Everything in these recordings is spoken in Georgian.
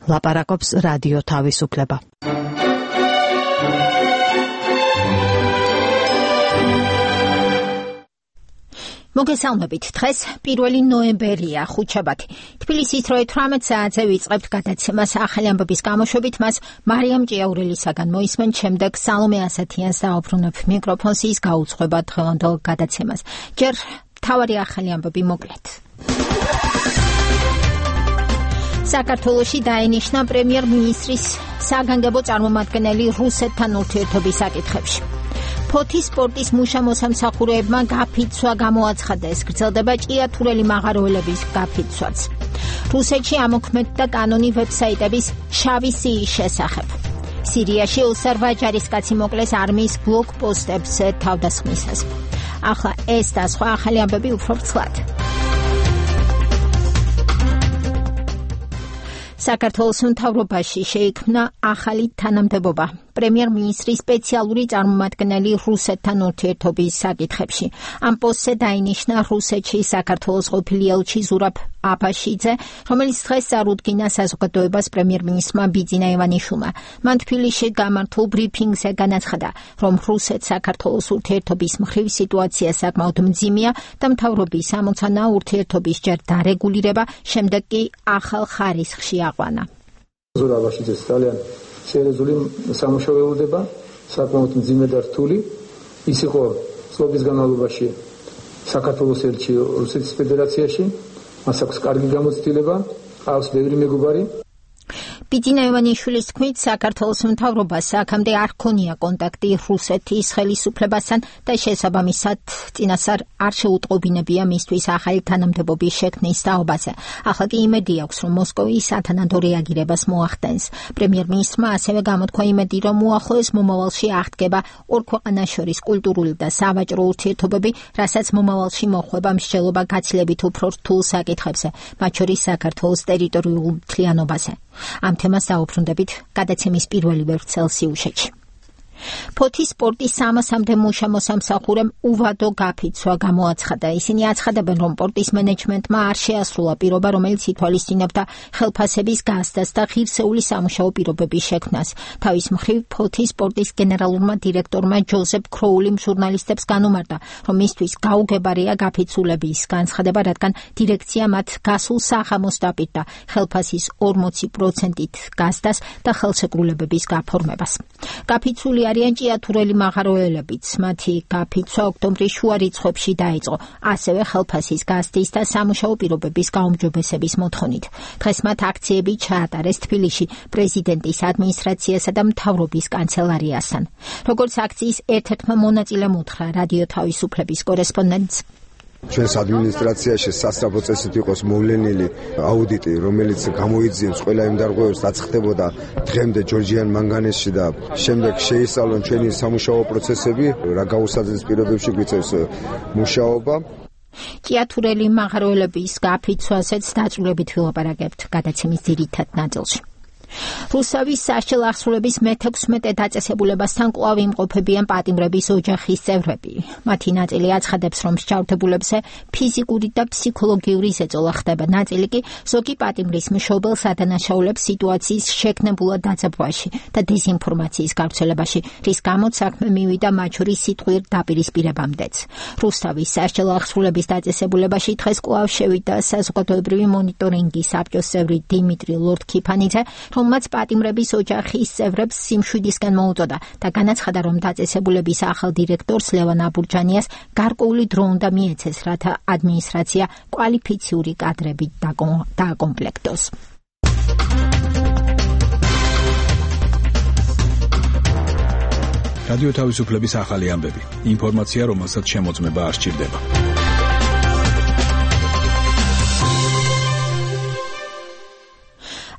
ლაპარაკობს რადიო თავისუფლება. მოგესალმებით. დღეს 1 ნოემბერია, ხუთშაბათი. თბილისის 18 საათზე ვიწყებთ გადაცემას ახალი ამბების გამოშვებით, მას მარიამ ჭიაურელისაგან მოისმენთ, შემდეგ სალომე ასათიანს დაუბრუნებ მიკროფონს, ის გაუძღვება დღევანდელ გადაცემას. ჯერ მთავარი ახალი ამბები მოკლედ. საქართველოში დაინიშნა პრემიერ-მინისტრის საგანგებო წარმომადგენელი რუსეთთან ურთიერთობის საკითხებში. ფოთის სპორტის მუშა-მოსამსახურეებმა გაფიცვა გამოაცხადეს, გრძელდება ჭიათურელი მაღაროელების გაფიცვაც. რუსეთში ამოქმედდა კანონი ვებსაიტების შავი სიის შესახებ. სირიაში ოსარვა ჯარისკაცი მოკლეს არმიის ბლოკპოსტებზე თავდასხმისას. ახლა ეს და სხვა ახალი ამბები უფრო ვრცლად. საქართველოს მთავრობაში შეიქმნა ახალი თანამდებობა. პრემიერ-მინისტრის სპეციალური წარმომადგენელი რუსეთთან ურთიერთობის საკითხებში. ამ პოსტზე დაინიშნა რუსეთში საქართველოს ყოფილი ელჩი ზურაბ აბაშიძე, რომელიც დღეს წარუდგინა საზოგადოებას პრემიერ-მინისტრმა ბიძინა ივანიშვილმა. მან თბილისში გამართულ ბრიფინგზე განაცხადა, რომ რუსეთ-საქართველოს ურთიერთობის მხრივ სიტუაცია საკმაოდ მძიმეა და მთავრობის ამოცანა ურთიერთობის ჯერ დარეგულირება, შემდეგ კი ახალ ხარისხში აყვანა. ზურაბ აბაშიძეს ძალიან სერიოზული სამუშაო ელოდება, საკმაოდ მძიმე და რთული. ის იყო წლების განმავლობაში საქართველოს ელჩი რუსეთის ფედერაციაში, მას აქვს კარგი გამოცდილება, ყავს ბევრი მეგობარი. ბიძინა ივანიშვილის თქმით, საქართველოს მთავრობას აქამდე არ ჰქონია კონტაქტი რუსეთის ხელისუფლებასთან და შესაბამისად წინასწარ არ შეუტყობინებია მისთვის ახალი თანამდებობის შექმნის თაობაზე. ახლა კი იმედი აქვს, რომ მოსკოვი სათანადო რეაგირებას მოახდენს. პრემიერ-მინისტრმა ასევე გამოთქვა იმედი, რომ უახლოეს მომავალში აღდგება ორ ქვეყანას შორის კულტურული და სავაჭრო ურთიერთობები, რასაც მომავალში მოხვება მსჯელობა გაცილებით უფრო რთულ საკითხებზე, მათ შორის საქართველოს ტერიტორიულ მთლიანობაზე. ამ თემას დაუბრუნდებით გადაცემის პირველი ვერცხელ სიუჟეტში. ფოთის სპორტის 300-მდე მუშა-მოსამსახურემ უვადო გაფიცვა გამოაცხადა. ისინი აცხადებენ, რომ პორტის მენეჯმენტმა არ შეასრულა პირობა, რომელიც ითვალისწინებდა ხელფასების გასდას და ღირსეული სამუშაო პირობების შექმნას. თავის მხრივ ფოთის სპორტის გენერალურმა დირექტორმა ჯოზეფ ქროულიმ ჟურნალისტებს განუმარტა, რომ მისთვის გაუგებარია გაფიცულების განცხადება, რადგან დირექცია მათ გასულ საღამოს დაპირდა ხელფასის 40%-ით გასდას და ხელშეკრულებების გაფორმებას. გაფიცული არიან ჭიათურელი მაღაროელებიც. მათი გაფიცვა ოქტომბრის შუა რიცხვებში დაიწყო, ასევე ხელფასის გასდის და სამუშაო პირობების გაუმჯობესების მოთხოვნით. დღეს მათ აქციები ჩაატარეს თბილისში პრეზიდენტის ადმინისტრაციასა და მთავრობის კანცელარიასთან. როგორც აქციის ერთ-ერთმა მონაწილემ უთხრა რადიო თავისუფლების კორესპონდენტს, ჩვენს ადმინისტრაციაში სასწრაფო წესით იყოს მოვლენილი აუდიტი, რომელიც გამოიძიებს ყველა იმ დარღვევებს, რაც ხდებოდა დღემდე ჯორჯიან მანგანესში და შემდეგ შეისწავლონ ჩვენი სამუშაო პროცესები, რა გაუსაძეს პირობებში გვიწევს მუშაობა. ჭიათურელი მაღაროელების გაფიცვაზეც დაწვრილებით ვილაპარაკებთ გადაცემის ძირითად ნაწილში. რუსავის სასჯელ აღსრულების მე-16 დაწესებულებასთან კვლავ იმყოფებიან პატიმრების ოჯახის წევრები. მათი ნაწილი აცხადებს, რომ მსჯავრდებულებზე ფიზიკური და ფსიქოლოგიური ზეწოლა ხდება. ნაწილი კი ზოგი პატიმრის მშობელს ადანაშაულებს სიტუაციის შექმნებულად დაძაბვაში და დეზინფორმაციის გავრცელებაში, რის გამოც საქმე მივიდა მათ შორის სიტყვიერ დაპირისპირებამდეც. რუსთავის სასჯელ აღსრულების დაწესებულებაში დღეს კვლავ შევიდა საზოგადოებრივი მონიტორინგის საბჭოს წევრი დიმიტრი ლორდ-ქიფანიძე, რომელმაც პატიმრების ოჯახის წევრებს სიმშვიდისკენ მოუწოდა და განაცხადა, რომ დაწესებულების ახალ დირექტორს ლევან აბურჯანიას გარკვეული დრო უნდა მიეცეს, რათა ადმინისტრაცია კვალიფიციური კადრებით დააკომპლექტოს. რადიო თავისუფლების ახალი ამბები. ინფორმაცია, რომელსაც შემოწმება არ სჭირდება.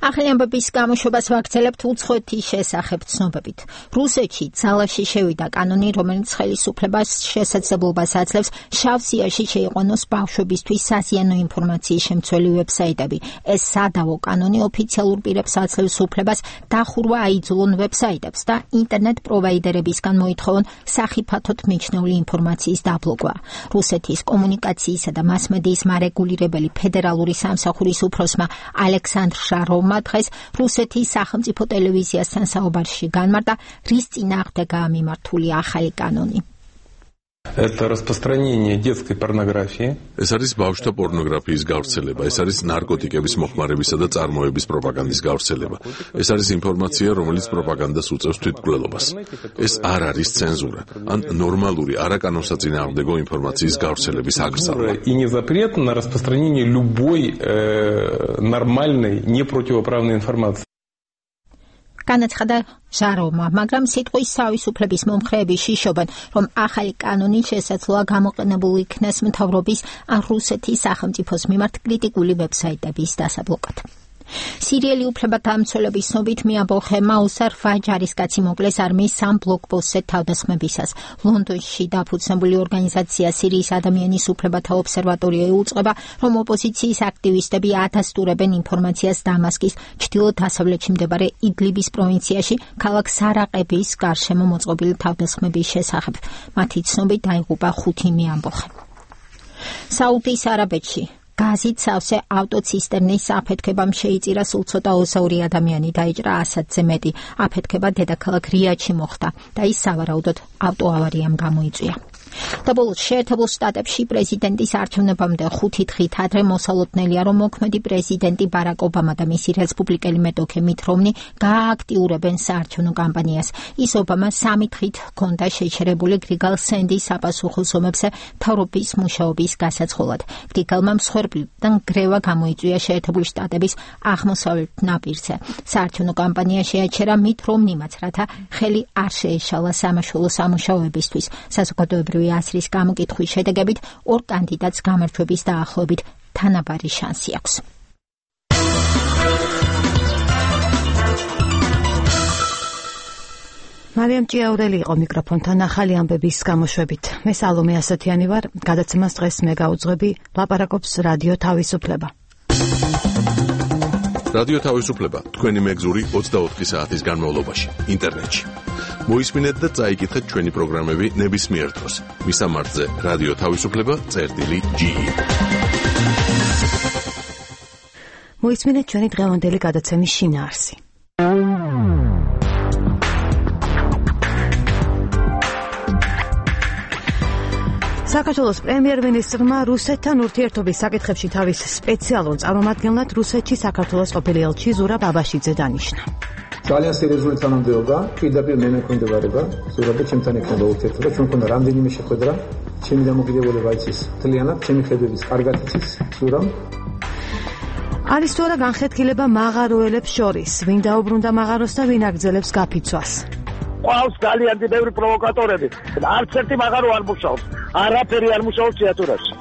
ახალი ამბების გამოშვებას ვაგრძელებთ უცხოეთის შესახებ ცნობებით. რუსეთში ძალაში შევიდა კანონი, რომელიც ხელისუფლებას შესაძლებლობას აძლევს შავ სიაში შეიყვანოს ბავშვებისთვის საზიანო ინფორმაციის შემცველი ვებსაიტები. ეს სადავო კანონი ოფიციალურ პირებს აძლევს უფლებას დახურვა აიძულონ ვებსაიტებს და ინტერნეტ პროვაიდერებისგან მოითხოვონ სახიფათოდ მიჩნეული ინფორმაციის დაბლოკვა. რუსეთის კომუნიკაციისა და მასმედიის მარეგულირებელი ფედერალური სამსახურის უფროსმა ალექსანდრ შაროვმა მმართველმა დღეს რუსეთის სახელმწიფო ტელევიზიასთან საუბარში განმარტა, რის წინააღმდეგაა მიმართული ახალი კანონი. Это распространение детской порнографии. ეს არის ბავშვთა პორნოგრაფიის გავრცელება, ეს არის ნარკოტიკების მოხმარებისა და წარმოების პროპაგანდის გავრცელება. ეს არის ინფორმაცია, რომელიც პროპაგანდას უწევს თვითმკვლელობას. ეს არ არის цензура, ან ნორმალური არაკანონსაწინააღმდეგო ინფორმაციის გავრცელების აკრძალვა. И не запрет на распространение любой нормальной, непротивоправной информации. განაცხადა ჟაროვმა, მაგრამ სიტყვის თავისუფლების მომხრეები შიშობენ, რომ ახალი კანონი შესაძლოა გამოყენებულ იქნეს მთავრობის ან რუსეთის სახელმწიფოს მიმართ კრიტიკული ვებსაიტების დასაბლოკად. სირიელი უფლებადამცველების ცნობით მიაბოხე მაუსარ ვაჯარისკაცი მოკლეს არმიის სამ ბლოკპოსტზე თავდასხმებისას. ლონდონში დაფუძნებული ორგანიზაცია სირიის ადამიანის უფლებათა ობსერვატორია იუწყება, რომ ოპოზიციის აქტივისტები ათასტურებენ ინფორმაციას დამასკის ჩრდილო-დასავლეთში მდებარე იდლიბის პროვინციაში ქალაქ სარაყების გარშემო მოწყობილი თავდასხმების შესახებ. მათი ცნობით დაიღუპა 5 მიამბოხე. საუდის არაბეთში გაზით სავსე ავტოცისტერნის აფეთქებამ შეიწირა სულ ცოტა 200 ადამიანი, დაიჭრა 100-ზე მეტი. აფეთქება დედაქალაქ რიადში მოხდა და ის სავარაუდოდ ავტოავარიამ გამოიწვია. საბოლოოდ შეერთებულ შტატებში პრეზიდენტის არჩევნებამდე 5 დღით ადრე მოსალოდნელია, რომ მოქმედი პრეზიდენტი ბარაკ ობამა და მისი რესპუბლიკელი მეტოქე მით რომნი გააქტიურებენ საარჩევნო კამპანიას. ის ობამას 3 დღით ჰქონდა შეჩერებული გრიგალ სენდის საპასუხო ზომებზე მთავრობის მუშაობის გასაცხოლად. გრიგალმა მსხვერპლიდან გრევა გამოიწვია შეერთებული შტატების აღმოსავლეთ ნაპირზე. საარჩევნო კამპანია შეაჩერა მით რომნიმაც, რათა ხელი არ შეეშალა სამაშველო სამუშაოებისთვის. საზოგადოებრივი ასრის გამოკითხვის შედეგებით ორ კანდიდატს გამარჯვების დაახლოებით თანაბარი შანსი აქვს. მარიამ ჭიაურელი იყო მიკროფონთან ახალი ამბების გამოშვებით. მე სალომე ასათიანი ვარ, გადაცემას დღეს მე გაუძღვები, ლაპარაკობს რადიო თავისუფლება. რადიო თავისუფლება, თქვენი მეგზური 24 საათის განმავლობაში, ინტერნეტში. მოისმინეთ და წაიკითხეთ ჩვენი პროგრამები ნებისმიერ დროს. მისამართზე რადიო თავისუფლება.ge. მოისმინეთ ჩვენი დღევანდელი გადაცემის შინაარსი. საქართველოს პრემიერ-მინისტრმა რუსეთთან ურთიერთობის საკითხებში თავის სპეციალურ წარმომადგენლად რუსეთში საქართველოს ყოფილი ელჩი ზურაბ აბაშიძე დანიშნა. ძალიან სერიოზული თანამდებობა, პირდაპირ მე მექვემდებარება, ზურაბი ჩემთან ექნება ურთიერთობა, ჩვენ მქონდა რამდენიმე შეხვედრა, ჩემი დამოკიდებულება იცის მთლიანად, ჩემი ხედვების კარგად იცის ზურაბ. არის თუ არა განხეთქილება მაღაროელებს შორის, ვინ დაუბრუნდა მაღაროს და ვინ აგრძელებს გაფიცვას. ყავს ძალიან ბევრი პროვოკატორები. არც ერთი მაღარო არ მუშაობს. არაფერი არ მუშაობს თეატრებში.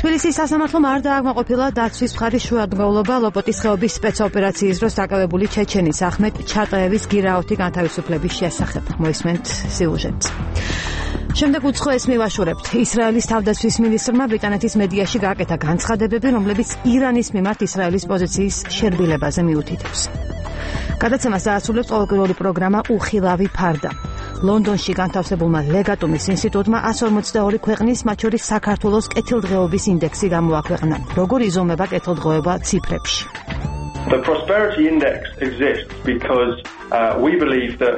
თბილისის სასამართლომ არ დააკმაყოფილა დაცვის მხარის შუადღაულობა ლოპოტის ხეობის სპეცოპერაციის დროს დაკავებული ჩეჩენის ახმეტ ჩატაევის გირაოთი განთავისუფლების შესახებ. მოისმენთ სიუჟეტს. შემდეგ უცხოეს მივაშურებთ. ისრაელის თავდაცვის მინისტრმა ბრიტანეთის მედიაში გააკეთა განცხადებები, რომლებიც ირანის მიმართ ისრაელის პოზიციის შერბილებაზე მიუთითებს. გადაცემას დაასრულებს ყოველკვირეული პროგრამა უხილავი ფარდა. ლონდონში განთავსებულმა ლეგატუმის ინსტიტუტმა 142 ქვეყნის, მათ შორის საქართველოს კეთილდღეობის ინდექსი გამოაქვეყნა. როგორ იზომება კეთილდღეობა ციფრებში? The prosperity index exists because we believe that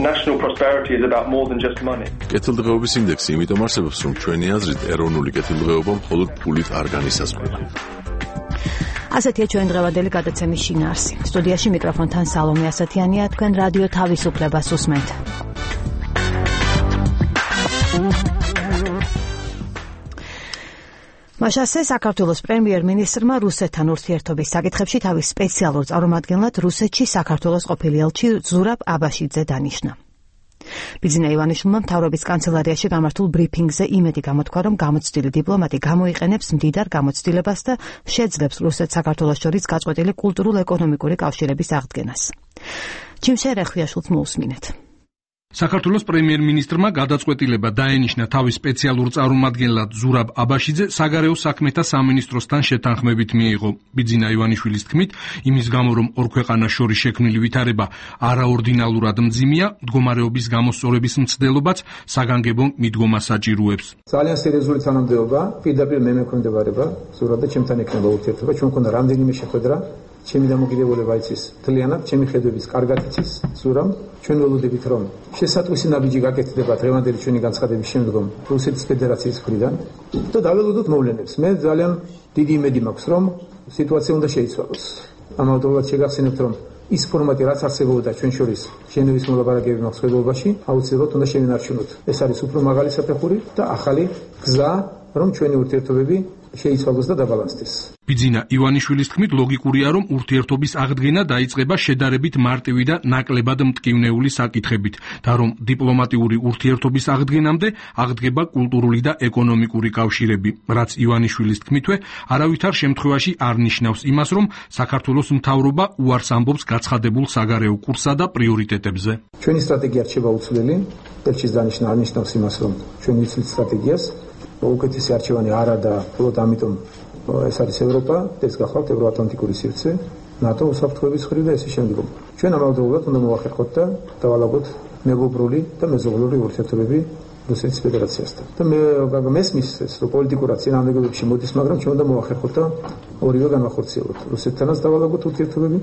national prosperity is about more than just money. კეთილდღეობის ინდექსი იმიტომ არსებობს, რომ ჩვენი აზრით ეროვნული კეთილდღეობა მხოლოდ ფულით არ განისაზღვრება. ასეთია ჩვენ დღევანდელი გადაცემის შინაარსი. სტუდიაში მიკროფონთან სალომე ასათიანია, თქვენ რადიო თავისუფლებას უსმენთ. მაშასე საქართველოს პრემიერ-მინისტრმა რუსეთთან ურთიერთობის საკითხებში თავის სპეციალურ წარმომადგენლად რუსეთში საქართველოს ყოფილი ელჩი ზურაბ აბაშიძე დანიშნა. ბიძინა ივანიშვილმა მთავრობის კანცელარიაში გამართულ ბრიფინგზე იმედი გამოთქვა, რომ გამოცდილი დიპლომატი გამოიყენებს მდიდარ გამოცდილებას და შეძლებს რუსეთ-საქართველოს შორის გაწყვეტილი კულტურულ-ეკონომიკური კავშირების აღდგენას. ჩიმშე რეხვიაშვილს მოусმინეთ. საქართველოს პრემიერ-მინისტრმა გადაწყვეტილება დაენიშნა თავის სპეციალურ წარმომადგენლად ზურაბ აბაშიძე საგარეო საქმეთა სამინისტროსთან შეთანხმებით მიიღო. ბიძინა ივანიშვილის თქმით, იმის გამო, რომ ორ ქვეყანას შორის შექმნილი ვითარება არაორდინალურად მძიმეა, მდგომარეობის გამოსწორების მცდელობაც საგანგებო მიდგომა საჭიროებს. ძალიან სერიოზული თანამდებობა, პირდაპირ მე მექვემდებარება, ზურაბი ჩემთან ექნება ურთიერთობა, ჩვენ მქონდა რამდენიმე შეხვედრა, ჩემი დამოკიდებულება იცის მთლიანად, ჩემი ხედვების კარგად იცის ზურამ. ჩვენ ველოდებით რომ შესატყვისი ნაბიჯი გაკეთდება დღევანდელი ჩვენი განცხადების შემდგომ რუსეთის ფედერაციის მხრიდან და დაველოდოთ მოვლენებს. მე ძალიან დიდი იმედი მაქვს რომ სიტუაცია უნდა შეიცვალოს. ამავდროულად შეგახსენებთ რომ ის ფორმატი რაც არსებობდა ჩვენ შორის ჟენევის მოლაპარაკებების მოხსნებობაში აუცილებლად უნდა შევინარჩუნოთ. ეს არის უფრო მაღალი საფეხური და ახალი გზა რომ ჩვენი ურთიერთობები შეიცვალოს და დაბალანსდეს. ბიძინა ივანიშვილის თქმით ლოგიკურია რომ ურთიერთობის აღდგენა დაიწყება შედარებით მარტივი და ნაკლებად მტკივნეული საკითხებით და რომ დიპლომატიური ურთიერთობის აღდგენამდე აღდგება კულტურული და ეკონომიკური კავშირები, რაც ივანიშვილის თქმითვე არავითარ შემთხვევაში არ ნიშნავს იმას, რომ საქართველოს მთავრობა უარს ამბობს გაცხადებულ საგარეო კურსსა და პრიორიტეტებზე. ჩვენი სტრატეგია რჩება უცვლელი, ელჩის დანიშნა არ ნიშნავს იმას, რომ ჩვენ ვიცით სტრატეგიას, უკეთესი არჩევანი არა და მხოლოდ ამიტომ ეს არის ევროპა, ეს გახლავთ ევროატლანტიკური სივრცე, ნატო უსაფრთხოების მხრიდან და ესე შემდგომ. ჩვენ ამავდროულად უნდა მოვახერხოთ და დავალაგოთ მეგობრული და მეზობლური ურთიერთობები რუსეთის ფედერაციასთან. და მე მესმის ეს რომ პოლიტიკურად წინააღმდეგობებში მოდის, მაგრამ ჩვენ უნდა მოვახერხოთ და ორივე განვახორციელოთ. რუსეთთანაც დავალაგოთ ურთიერთობები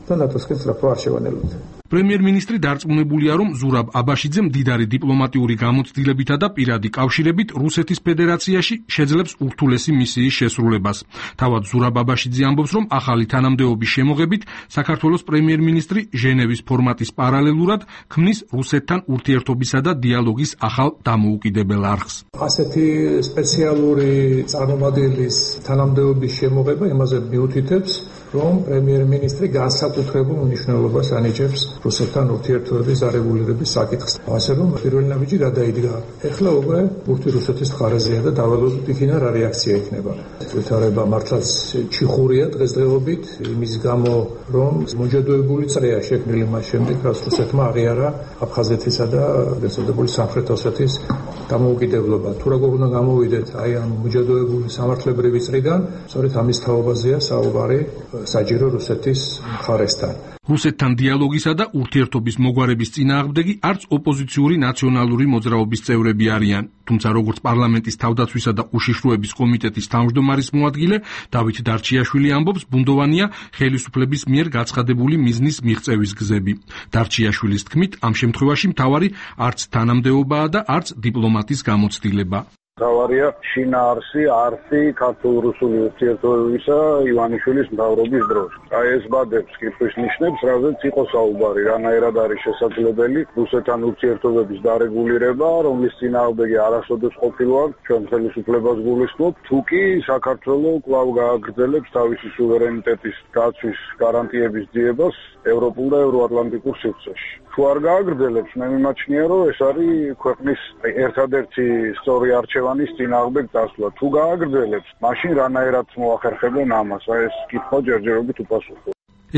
და ნატოსკენ სწრაფვა არ შევანელოთ. პრემიერ-მინისტრი დარწმუნებულია, რომ ზურაბ აბაშიძე მდიდარი დიპლომატიური გამოცდილებითა და პირადი კავშირებით რუსეთის ფედერაციაში შეძლებს ურთულესი მისიის შესრულებას. თავად ზურაბ აბაშიძე ამბობს, რომ ახალი თანამდებობის შემოღებით საქართველოს პრემიერ-მინისტრი ჟენევის ფორმატის პარალელურად ქმნის რუსეთთან ურთიერთობისა და დიალოგის ახალ დამოუკიდებელ არხს. ასეთი სპეციალური წარმომადგენლის თანამდებობის შემოღება იმაზე მიუთითებს, რომ პრემიერ-მინისტრი განსაკუთრებულ მნიშვნელობას ანიჭებს რუსეთთან ურთიერთობების არეგულირების საკითხს. ასე რომ პირველი ნაბიჯი გადაიდგა. ეხლა უკვე ბურთი რუსეთის მხარეზეა და დავალოდოთ იქიდან რა რეაქცია იქნება. ვითარება მართლაც ჩიხურია დღესდღეობით იმის გამო, რომ მოჯადოებული წრეა შექმნილი მას შემდეგ, რაც რუსეთმა აღიარა აფხაზეთისა და გაწოდებული სამხრეთ ოსეთის დამოუკიდებლობა. თუ როგორ უნდა გამოვიდეთ აი ამ მოჯადოებული სამართლებრივი წრიდან, სწორედ ამის თაობაზეა საუბარი საჯირო რუსეთის მხარესთან. რუსეთთან დიალოგისა და ურთიერთობის მოგვარების წინააღმდეგი არც ოპოზიციური ნაციონალური მოძრაობის წევრები არიან. თუმცა როგორც პარლამენტის თავდაცვისა და უშიშროების კომიტეტის თავმჯდომარის მოადგილე დავით დარჩიაშვილი ამბობს, ბუნდოვანია ხელისუფლების მიერ გაცხადებული მიზნის მიღწევის გზები. დარჩიაშვილის თქმით, ამ შემთხვევაში მთავარი არც თანამდებობაა და არც დიპლომატის გამოცდილება. თავარია შინაარსი არსი ქართულ-რუსული ურთიერთობებისა ივანიშვილის მთავრობის დროს. აი ეს ბადებს კითხვის ნიშნებს, რაზეც იყო საუბარი, რანაირად არის შესაძლებელი რუსეთთან ურთიერთობების დარეგულირება, რომლის წინააღმდეგი არასოდეს ყოფილვარ, ჩვენ ხელისუფლებას გულისხმობ, თუ კი საქართველო კვლავ გააგრძელებს თავისი სუვერენიტეტის გაცვის გარანტიების ძიებას ევროპულ და ევროატლანტიკურ სივრცეში. თუ არ გააგრძელებს, მე მიმაჩნია, რომ ეს არის ქვეყნის ერთადერთი სწორი არჩევანის წინააღმდეგ წასვლა. თუ გააგრძელებს, მაშინ რანაირად მოახერხებენ ამას? აი ეს კითხვა ჯერჯერობით უპასუხო.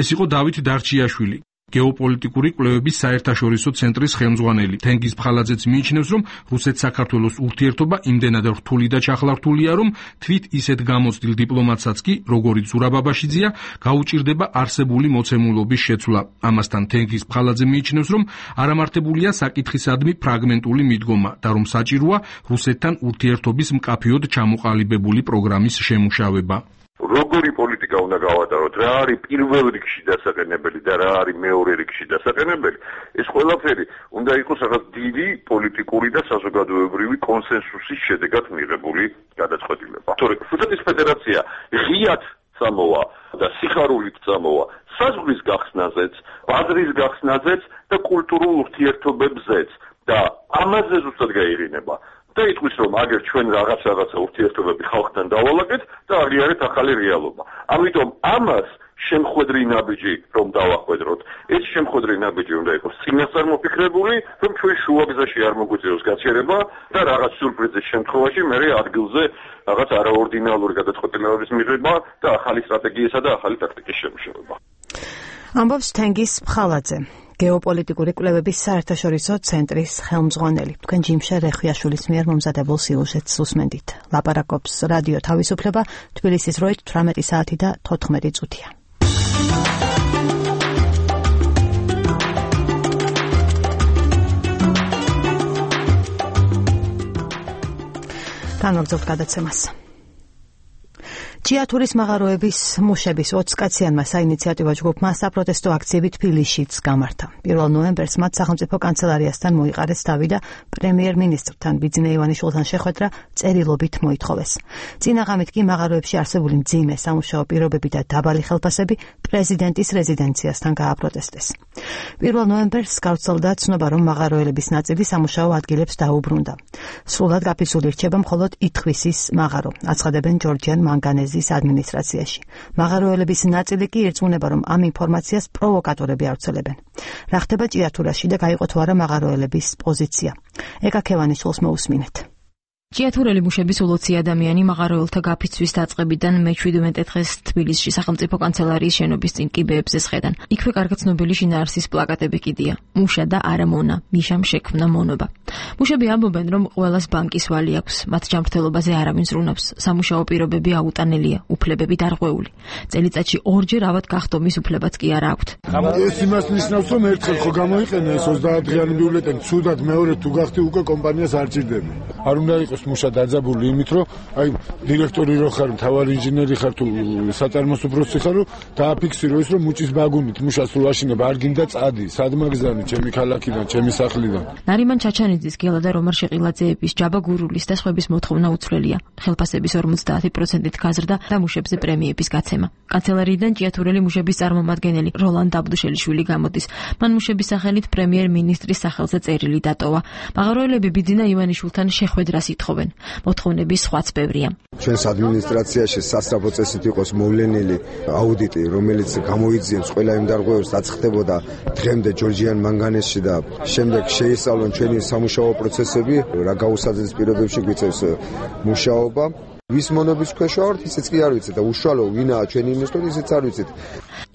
ეს იყო დავით დარჩიაშვილი, გეოპოლიტიკური კვლევების საერთაშორისო ცენტრის ხელმძღვანელი. თენგიზ ფხალაძეც მიიჩნევს, რომ რუსეთ-საქართველოს ურთიერთობა იმდენად რთული და ჩახლართულია, რომ თვით ისეთ გამოცდილ დიპლომატსაც კი, როგორიც ზურაბ აბაშიძეა, გაუჭირდება არსებული მოცემულობის შეცვლა. ამასთან თენგიზ ფხალაძე მიიჩნევს, რომ არამართებულია საკითხისადმი ფრაგმენტული მიდგომა და რომ საჭიროა რუსეთთან ურთიერთობის მკაფიოდ ჩამოყალიბებული პროგრამის შემუშავება. როგორი პოლიტიკა უნდა გავატაროთ, რა არის პირველ რიგში დასაყენებელი და რა არის მეორე რიგში დასაყენებელი, ეს ყველაფერი უნდა იყოს რაღაც დიდი პოლიტიკური და საზოგადოებრივი კონსენსუსის შედეგად მიღებული გადაწყვეტილება. თორე რუსეთის ფედერაცია ღიად წამოვა და სიხარულით წამოვა საზღვრის გახსნაზეც, ბაზრის გახსნაზეც და კულტურულ ურთიერთობებზეც და ამაზე ზუსტად გაიღინება. და იტყვის, რომ აგერ ჩვენ რაღაცა ურთიერთობები ხალხთან დავალაგეთ და აღიარეთ ახალი რეალობა. ამიტომ ამას შემხვედრი ნაბიჯი რომ დავახვედროთ, ეს შემხვედრი ნაბიჯი უნდა იყოს წინასწარმოფიქრებული, რომ ჩვენ შუაგზაში არ მოგვიწევს გაჩერება და რაღაც სიურპრიზის შემთხვევაში მე ადგილზე რაღაც არაორდინალური გადაწყვეტილებების მიღება და ახალი სტრატეგიისა და ახალი ტაქტიკის შემუშავება. ამბობს თენგიზ ფხალაძე, გეოპოლიტიკური კვლევების საერთაშორისო ცენტრის ხელმძღვანელი. თქვენ ჯიმშე რეხვიაშვილის მიერ მომზადებულ სიუჟეტს უსმენდით. ლაპარაკობს რადიო თავისუფლება, თბილისის დროით 18 საათი და 14 წუთია. განვაგრძობთ გადაცემას. ჭიათურის მაღაროების მუშების 20 კაციანმა საინიციატივო ჯგუფმა საპროტესტო აქციები თბილისშიც გამართა. 1 ნოემბერს მათ სახელმწიფო კანცელარიასთან მოიყარეს თავი და პრემიერ-მინისტრთან ბიძინა ივანიშვილთან შეხვედრა წერილობით მოითხოვეს. წინა ღამით კი მაღაროებში არსებული მძიმე სამუშაო პირობები და დაბალი ხელფასები პრეზიდენტის რეზიდენციასთან გააპროტესტეს. 1 ნოემბერს გავრცელდა ცნობა, რომ მაღაროელების ნაწილი სამუშაო ადგილებს დაუბრუნდა. სრულად გაფიცული რჩება მხოლოდ ითხვისის მაღარო, აცხადებენ ჯორჯიან მანგანეზის ადმინისტრაციაში. მაღაროელების ნაწილი კი ირწმუნება, რომ ამ ინფორმაციას პროვოკატორები ავრცელებენ. რა ხდება ჭიათურაში და გაიყო თუ არა მაღაროელების პოზიცია? ეკა ქევანიშვილს მოусმინეთ. ჭიათურელი მუშების ულოცი ადამიანი მაღაროელთა გაფიცვის დაწყებიდან მე-17 დღეს თბილისში სახელმწიფო კანცელარიის შენობის წინ კიბეებზე სხედან. იქვე კარგად ცნობილი შინაარსის პლაკატები კიდია. მუშა და არა მონა, მიშამ შექმნა მონობა. მუშები ამბობენ, რომ ყველას ბანკის ვალი აქვს, მათ ჯანმრთელობაზე არავინ ზრუნავს, სამუშაო პირობები აუტანელია, უფლებები დარღვეული. წელიწადში 2 ჯერ ავად გახდომის უფლებაც კი არ აქვთ. ეს იმას ნიშნავს, რომ ერთხელ ხო გამოიყენა ეს 30 დღიანი ბიულეტენი, ცუდად მეორე თუ გახდი უკვე კომპანიას არ ჭირდება. არ უნდა იყოს მუშა დაძაბული იმით, რომ აი დირექტორი რო ხარ, მთავარი ინჟინერი ხარ თუ საწარმოს უფროსი ხარ, დააფიქსირო ის, რომ მუჭის ბაგუნით მუშას თუ აშინება არ გინდა წადი, სადმაგზანი, ჩემი ქალაქიდან, ჩემი სახლიდან. ნარიმან ჩაჩანიძის, გელა და რომარ შეყილაძეების, ჯაბა გურულის და სხვების მოთხოვნა უცვლელია. ხელფასების 50%-ით გაზრდა და მუშებზე პრემიების გაცემა. კანცელარიიდან ჭიათურელი მუშების წარმომადგენელი როლანდ აბდუშელიშვილი გამოდის. მან მუშების სახელით პრემიერ-მინისტრის სახელზე წერილი დატოვა. მაღაროელები ბიძინა ივანიშვილთან შეხვედრას ითხოვენ. მოთხოვნების სხვაც ბევრია. ჩვენს ადმინისტრაციაში სასწრაფო წესით იყოს მოვლენილი აუდიტი, რომელიც გამოიძიებს ყველა იმ დარღვევებს, რაც ხდებოდა დღემდე ჯორჯიან მანგანესში და შემდეგ შეისწავლონ ჩვენი სამუშაო პროცესები, რა გაუსაძეს პირობებში გვიწევს მუშაობა. ვის მონობის ქვეშ ვართ, ისიც კი არ ვიცით და უშუალო ვინაა ჩვენი ინვესტორი, ისიც არ ვიცით.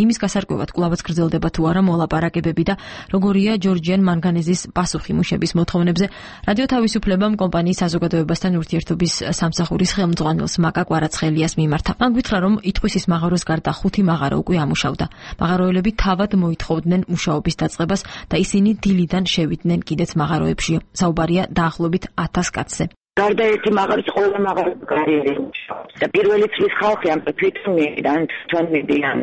იმის გასარკვევად კვლავაც გრძელდება თუ არა მოლაპარაკებები და როგორია ჯორჯიან მანგანეზის პასუხი მუშების მოთხოვნებზე, რადიო თავისუფლებამ კომპანიის საზოგადოებასთან ურთიერთობის სამსახურის ხელმძღვანელს მაკა კვარაცხელიას მიმართა. მან გითხრა, რომ ითხვისის მაღაროს გარდა 5 მაღარო უკვე ამუშავდა. მაღაროელები თავად მოითხოვდნენ მუშაობის დაწყებას და ისინი დილიდან შევიდნენ კიდეც მაღაროებში. საუბარია დაახლოებით 1000 კაცზე. გარდა ერთი მაღარის ყველა მაღარო კარიერა და პირველი წლის ხალხი ამ ფიქრიდან თან მიდიან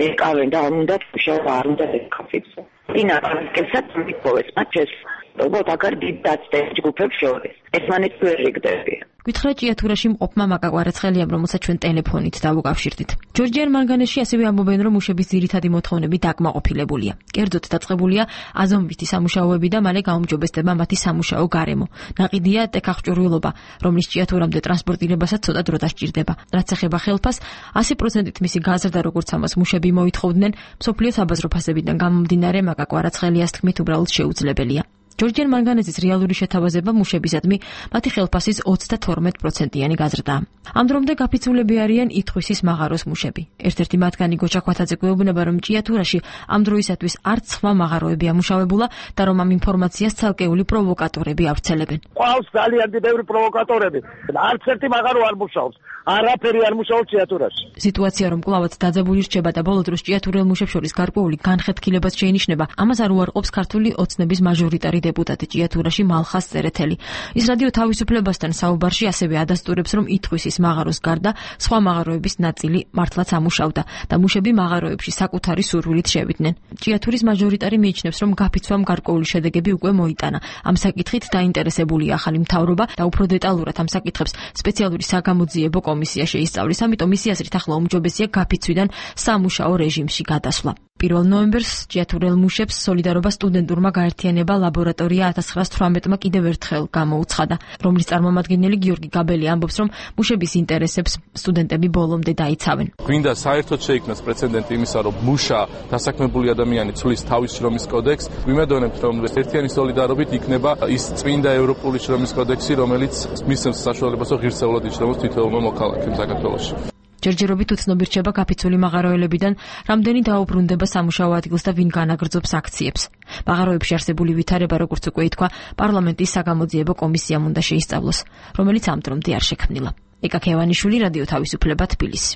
ეკავენ და უნდა მუშაობა არ უნდა ეკავიძო. ინა პარკესაც მიყოვეს მაჩეს როგორც აგარ დიდდაცდეს ჯგუფებს შორის. ესმანეთ ვერ იგდები. გითხრა ჭიათურაში მყოფმა მაკა კვარაცხელიამ, რომელსაც ჩვენ ტელეფონით დავუკავშირდით. ჯორჯიან მანგანესში ასევე ამბობენ, რომ მუშების ძირითადი მოთხოვნები დაკმაყოფილებულია. კერძოდ დაწყებულია აზომვითი სამუშაოები და მალე გაუმჯობესდება მათი სამუშაო გარემო. ნაყიდია ტექაღჭურვილობა, რომლის ჭიათურამდე ტრანსპორტირებასაც ცოტა დრო დასჭირდება. რაც ეხება ხელფას, 100%-ით მისი გაზრდა, როგორც ამას მუშები მოითხოვდნენ, მსოფლიო საბაზრო ფასებიდან გამომდინარე მაკა კვარაცხელიას თქმით, უბრალოდ შეუძლებელია. ჯორჯიან მანგანეზის რეალური შეთავაზება მუშებისადმი მათი ხელფასის 32%-იანი გაზრდაა. ამ დრომდე გაფიცულები არიან ითხვისის მაღაროს მუშები. ერთ-ერთი მათგანი გოჩა ხვათაძე გვეუბნება, რომ ჭიათურაში ამ დროისათვის არც სხვა მაღაროები ამუშავებულა და რომ ამ ინფორმაციას ცალკეული პროვოკატორები ავრცელებენ. ყავს ძალიან ბევრი პროვოკატორები. არც ერთი მაღარო არ მუშაობს. არაფერი არ მუშაობს ჭიათურაში. სიტუაცია რომ კვლავაც დაძაბული რჩება და ბოლო დროს ჭიათურელ მუშებს შორის გარკვეული განხეთქილებაც შეინიშნება, ამას არ უარყოფს ქართული ოცნების მაჟორიტარი დეპუტატი ჭიათურაში მალხას წერეთელი. ის რადიო თავისუფლებასთან საუბარში ასევე ადასტურებს, რომ ითხვისის მაღაროს გარდა სხვა მაღაროების ნაწილი მართლაც ამუშავდა და მუშები მაღაროებში საკუთარი სურვილით შევიდნენ. ჭიათურის მაჟორიტარი მიიჩნევს, რომ გაფიცვამ გარკვეული შედეგები უკვე მოიტანა. ამ საკითხით დაინტერესებულია ახალი მთავრობა და უფრო დეტალურად ამ საკითხებს სპეციალური საგამოძიებო კომისია შეისწავლის, ამიტომ მისი აზრით ახლა უმჯობესია გაფიცვიდან სამუშაო რეჟიმში გადასვლა. 1 ნოემბერს ჭიათურელ მუშებს სოლიდარობა სტუდენტურმა გაერთიანება ლაბორატორია 1918-მა კიდევ ერთხელ გამოუცხადა, რომლის წარმომადგენელი გიორგი გაბელი ამბობს, რომ მუშების ინტერესებს სტუდენტები ბოლომდე დაიცავენ. გვინდა საერთოდ შეიქმნას პრეცედენტი იმისა, რომ მუშა დასაქმებული ადამიანი ცვლის თავის შრომის კოდექსს. ვიმედოვნებთ, რომ ერთიანი სოლიდარობით იქნება ის წმინდა ევროპული შრომის კოდექსი, რომელიც მისცემს საშუალებას, რომ ღირსეულად იშრომოს თითოეულმა მოქალაქემ საქართველოში. ჯერჯერობით უცნობი რჩება გაფიცული მაღაროელებიდან, რამდენი დაუბრუნდება სამუშაო ადგილს და ვინ განაგრძობს აქციებს. მაღაროებში არსებული ვითარება, როგორც უკვე ითქვა, პარლამენტის საგამოძიებო კომისიამ უნდა შეისწავლოს, რომელიც ამ დრომდე არ შექმნილა. ეკა ქევანიშვილი, რადიო თავისუფლება, თბილისი.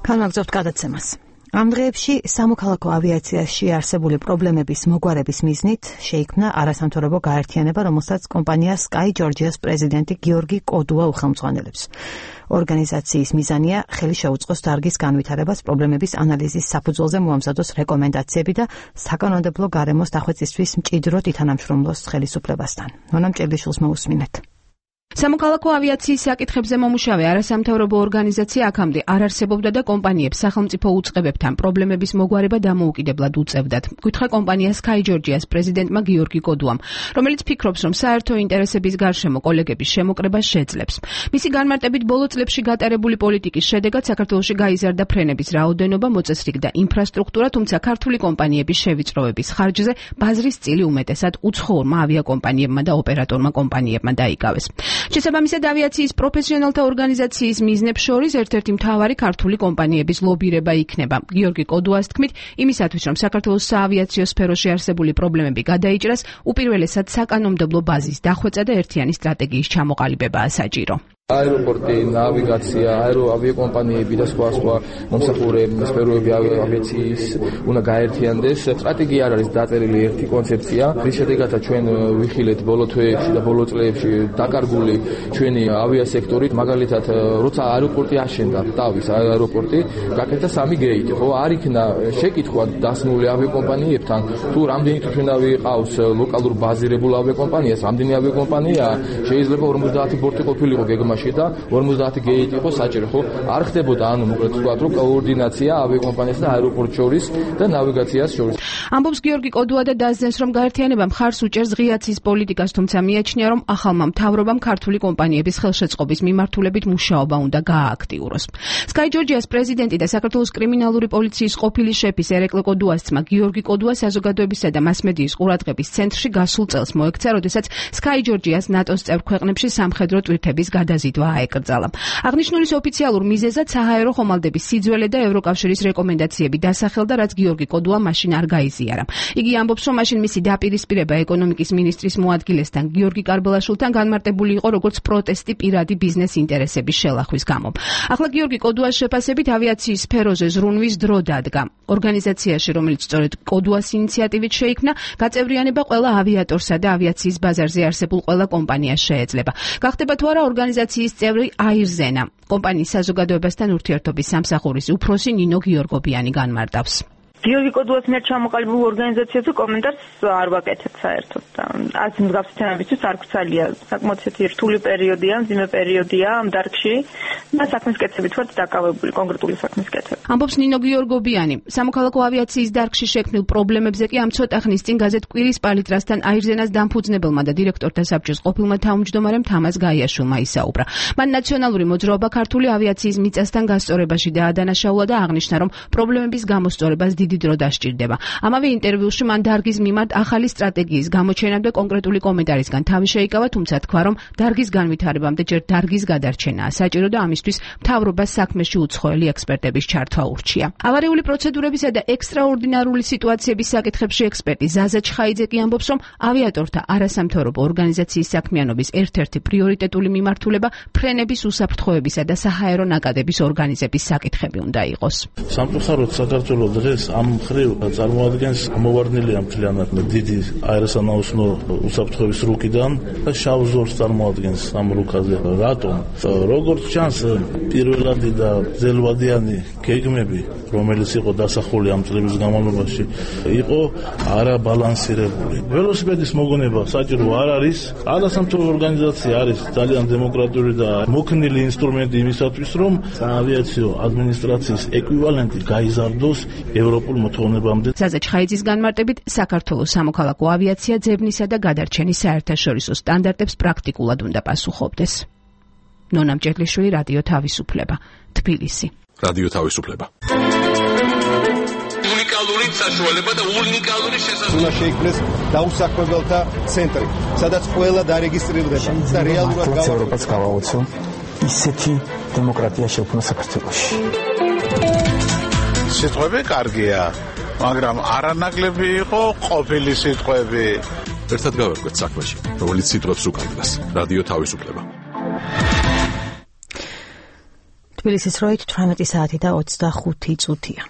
განაგრძობთ გადაცემას. ამ დღეებში სამოქალაქო ავიაციაში არსებული პრობლემების მოგვარების მიზნით შეიქმნა არასამთავრობო გაერთიანება, რომელსაც კომპანია Sky Georgia-ს პრეზიდენტი გიორგი კოდუა უხელმძღვანელებს. ორგანიზაციის მიზანია ხელი შეუწყოს დარგის განვითარებას, პრობლემების ანალიზის საფუძველზე მოამზადოს რეკომენდაციები და საკანონმდებლო გარემოს დახვეწისთვის მჭიდროდ ითანამშრომლოს ხელისუფლებასთან. ნონა მჭედლიშვილს მოусმინეთ. სამოქალაქო ავიაციის საკითხებზე მომუშავე არასამთავრობო ორგანიზაცია აქამდე არ არსებობდა და კომპანიებს სახელმწიფო უწყებებთან პრობლემების მოგვარება დამოუკიდებლად უწევდათ. გითხრა კომპანია Sky Georgia-ს პრეზიდენტმა გიორგი კოდუამ, რომელიც ფიქრობს, რომ საერთო ინტერესების გარშემო კოლეგების შემოკრებას შეძლებს. მისი განმარტებით ბოლო წლებში გატარებული პოლიტიკის შედეგად საქართველოში გაიზარდა ფრენების რაოდენობა, მოწესრიგდა ინფრასტრუქტურა, თუმცა ქართული კომპანიების შევიწროების ხარჯზე ბაზრის წილი უმეტესად უცხოურმა ავიაკომპანიებმა და ოპერატორმა კომპანიებმა დაიკავეს. შესაბამისად ავიაციის პროფესიონალთა ორგანიზაციის მიზნებს შორის ერთ-ერთი მთავარი ქართული კომპანიების ლობირება იქნება. გიორგი კოდუას თქმით, იმისათვის რომ საქართველოს საავიაციო სფეროში არსებული პრობლემები გადაიჭრას, უპირველესად საკანონმდებლო ბაზის დახვეწა და ერთიანი სტრატეგიის ჩამოყალიბებაა საჭირო. აეროპორტი, ნავიგაცია, ავიაკომპანიები და სხვა მომსახურე სფეროები ავიაციის უნდა გაერთიანდეს. სტრატეგია არ არის დაწერილი ერთი კონცეფცია, რის შედეგადაც ჩვენ ვიხილეთ ბოლო თვეებში და ბოლო წლებში დაკარგული ჩვენი ავიასექტორით, მაგალითად, როცა აეროპორტი აშენდა, თავის აეროპორტი, გაკეთდა 3 გეიტი, ხო, არ იქნა შეკითხვა დასნული ავიაკომპანიებთან, თუ რამდენი თვითმფრინავი ყავს ლოკალურ ბაზირებულ ავიაკომპანიას, რამდენი ავიაკომპანია შეიძლება 50 ბორტი ყოფილიყო გეგმაში და 50 გეიტი იყო საჭირო, ხო? არ ხდებოდა, ანუ მოკლედ ვთქვათ, რომ კოორდინაცია ავიაკომპანიას და აეროპორტს შორის და ნავიგაციას შორის. ამბობს გიორგი კოდუა და დასძენს, რომ გაერთიანება მხარს უჭერს ღიაცის პოლიტიკას, თუმცა მიაჩნია, რომ ახალმა მთავრობამ ქართული კომპანიების ხელშეწყობის მიმართულებით მუშაობა უნდა გაააქტიუროს. Sky Georgia-ს პრეზიდენტი და საქართველოს კრიმინალური პოლიციის ყოფილი შეფის ერეკლე კოდუას ძმა გიორგი კოდუა საზოგადოებისა და მასმედიის ყურადღების ცენტრში გასულ წელს მოექცა, როდესაც Sky Georgia-ს ნატოს წევრ ქვეყნებში სამხედრო ტვირთების გადაზიდვა აეკრძალა. აღნიშნულის ოფიციალურ მიზეზად საჰაერო ხომალდების სიძველე და ევროკავშირის რეკომენდაციები დასახელდა, რაც გიორგი კოდუა მაშინ არ გაიზიარა. იგი ამბობს, რომ მაშინ მისი დაპირისპირება ეკონომიკის მინისტრის მოადგილესთან გიორგი კარბელაშვილთან განმარტებული იყო როგორც პროტესტი პირადი ბიზნეს ინტერესების შელახვის გამო. ახლა გიორგი კოდუას შეფასებით ავიაციის სფეროზე ზრუნვის დრო დადგა. ორგანიზაციაში, რომელიც სწორედ კოდუას ინიციატივით შეიქმნა, გაწევრიანება ყველა ავიატორსა და ავიაციის ბაზარზე არსებულ ყველა კომპანიას შეეძლება. გახდება თუ არა ორგანიზაციის წევრი აირზენა. კომპანიის საზოგადოებასთან ურთიერთობის სამსახურის უფროსი ნინო გიორგობიანი განმარტავს. გიორგი კოდუას მიერ ჩამოყალიბებულ ორგანიზაციაზე კომენტარს არ ვაკეთებ საერთოდ. არც მსგავსი თემებისთვის არ გვცალია. საკმაოდ რთული პერიოდია, მძიმე პერიოდია ამ დარგში და საქმის კეთებით ვართ დაკავებული, კონკრეტული საქმის კეთებით. ამბობს ნინო გიორგობიანი. სამოქალაქო ავიაციის დარგში შექმნილ პრობლემებზე კი ამ ცოტა ხნის წინ გაზეთ კვირის პალიტრასთან აირზენას დამფუძნებელმა და დირექტორთა საბჭოს ყოფილმა თავმჯდომარემ თამაზ გაიაშვილმა ისაუბრა. მან ნაციონალური მოძრაობა ქართული ავიაციის მიწასთან გასწორებაში დაადანაშაულა და აღნიშნა, რომ პრობლემების გამოსწორებას დიდი დრო დასჭირდება. ამავე ინტერვიუში მან დარგის მიმართ ახალი სტრატეგიის გამოჩენამდე კონკრეტული კომენტარისგან თავი შეიკავა, თუმცა თქვა, რომ დარგის განვითარებამდე ჯერ დარგის გადარჩენაა საჭირო და ამისთვის მთავრობას საქმეში უცხოელი ექსპერტების ჩართვა ურჩია. ავარიული პროცედურებისა და ექსტრაორდინარული სიტუაციების საკითხებში ექსპერტი ზაზა ჩხაიძე კი ამბობს, რომ ავიატორთა არასამთავრობო ორგანიზაციის საქმიანობის ერთ-ერთი პრიორიტეტული მიმართულება ფრენების უსაფრთხოებისა და საჰაერო ნაკადების ორგანიზების საკითხები უნდა იყოს. სამწუხაროდ საქართველოს დღეს ამ მხრივ წარმოადგენს მოვარდნილია მთლიანად დიდი აეროსანაოსნო უსაფრთხოების რუკიდან და შავ ზოლს წარმოადგენს ამ რუკაზე. რატომ? როგორც ჩანს, პირველადი და ძელვადიანი გეგმები, რომელიც იყო დასახული ამ წლების განმავლობაში, იყო არაბალანსირებული. ველოსიპედის მოგონება საჭირო არ არის. არასამთავრობო ორგანიზაცია არის ძალიან დემოკრატიული და მოქნილი ინსტრუმენტი იმისათვის, რომ საავიაციო ადმინისტრაციის ეკვივალენტი გაიზარდოს ევროპულ მოთხოვნებამდე. ზაზა ჩხაიძის განმარტებით, საქართველოს სამოქალაქო ავიაცია ძებნისა და გადარჩენის საერთაშორისო სტანდარტებს პრაქტიკულად უნდა პასუხობდეს. ნონა მჭედლიშვილი, რადიო თავისუფლება, თბილისი. რადიო თავისუფლება. უნიკალური საშუალება და უნიკალური შესაძლებლობა. უნდა შეიქმნეს დაუსაქმებელთა ცენტრი, სადაც ყველა დარეგისტრირდება და რეალურად ევროპას გავაოცო ისეთი დემოკრატია შექმნა საქართველოში. სიტყვები კარგია, მაგრამ არანაკლები იყო ყოფილი სიტყვები. ერთად გავერკვეთ საქმეში, რომელიც სიტყვებს უკავშირდება. რადიო თავისუფლება. თბილისის როით 18 საათი და 25 წუთია.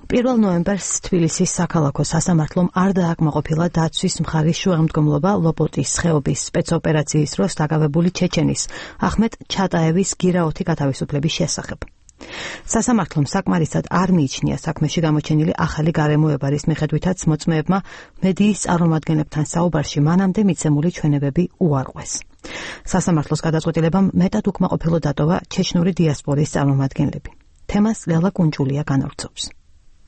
1 ნოემბერს თბილისის საქალაქო სასამართლომ არ დააკმაყოფილა დაცვის მხარის შუამდგომლობა ლოპოტის ხეობის სპეცოპერაციის დროს დაკავებული ჩეჩენის ახმეტ ჩატაევის გირაოთი გათავისუფლების შესახებ. სასამართლომ საკმარისად არ მიიჩნია საქმეში გამოჩენილი ახალი გარემოება, რის მიხედვითაც მოწმეებმა მედიის წარმომადგენლებთან საუბარში მანამდე მიცემული ჩვენებები უარყვეს. სასამართლოს გადაწყვეტილებამ მეტად უკმაყოფილო დატოვა ჩეჩნური დიასპორის წარმომადგენლები. თემას ლელა კუნჭულია განავრცობს.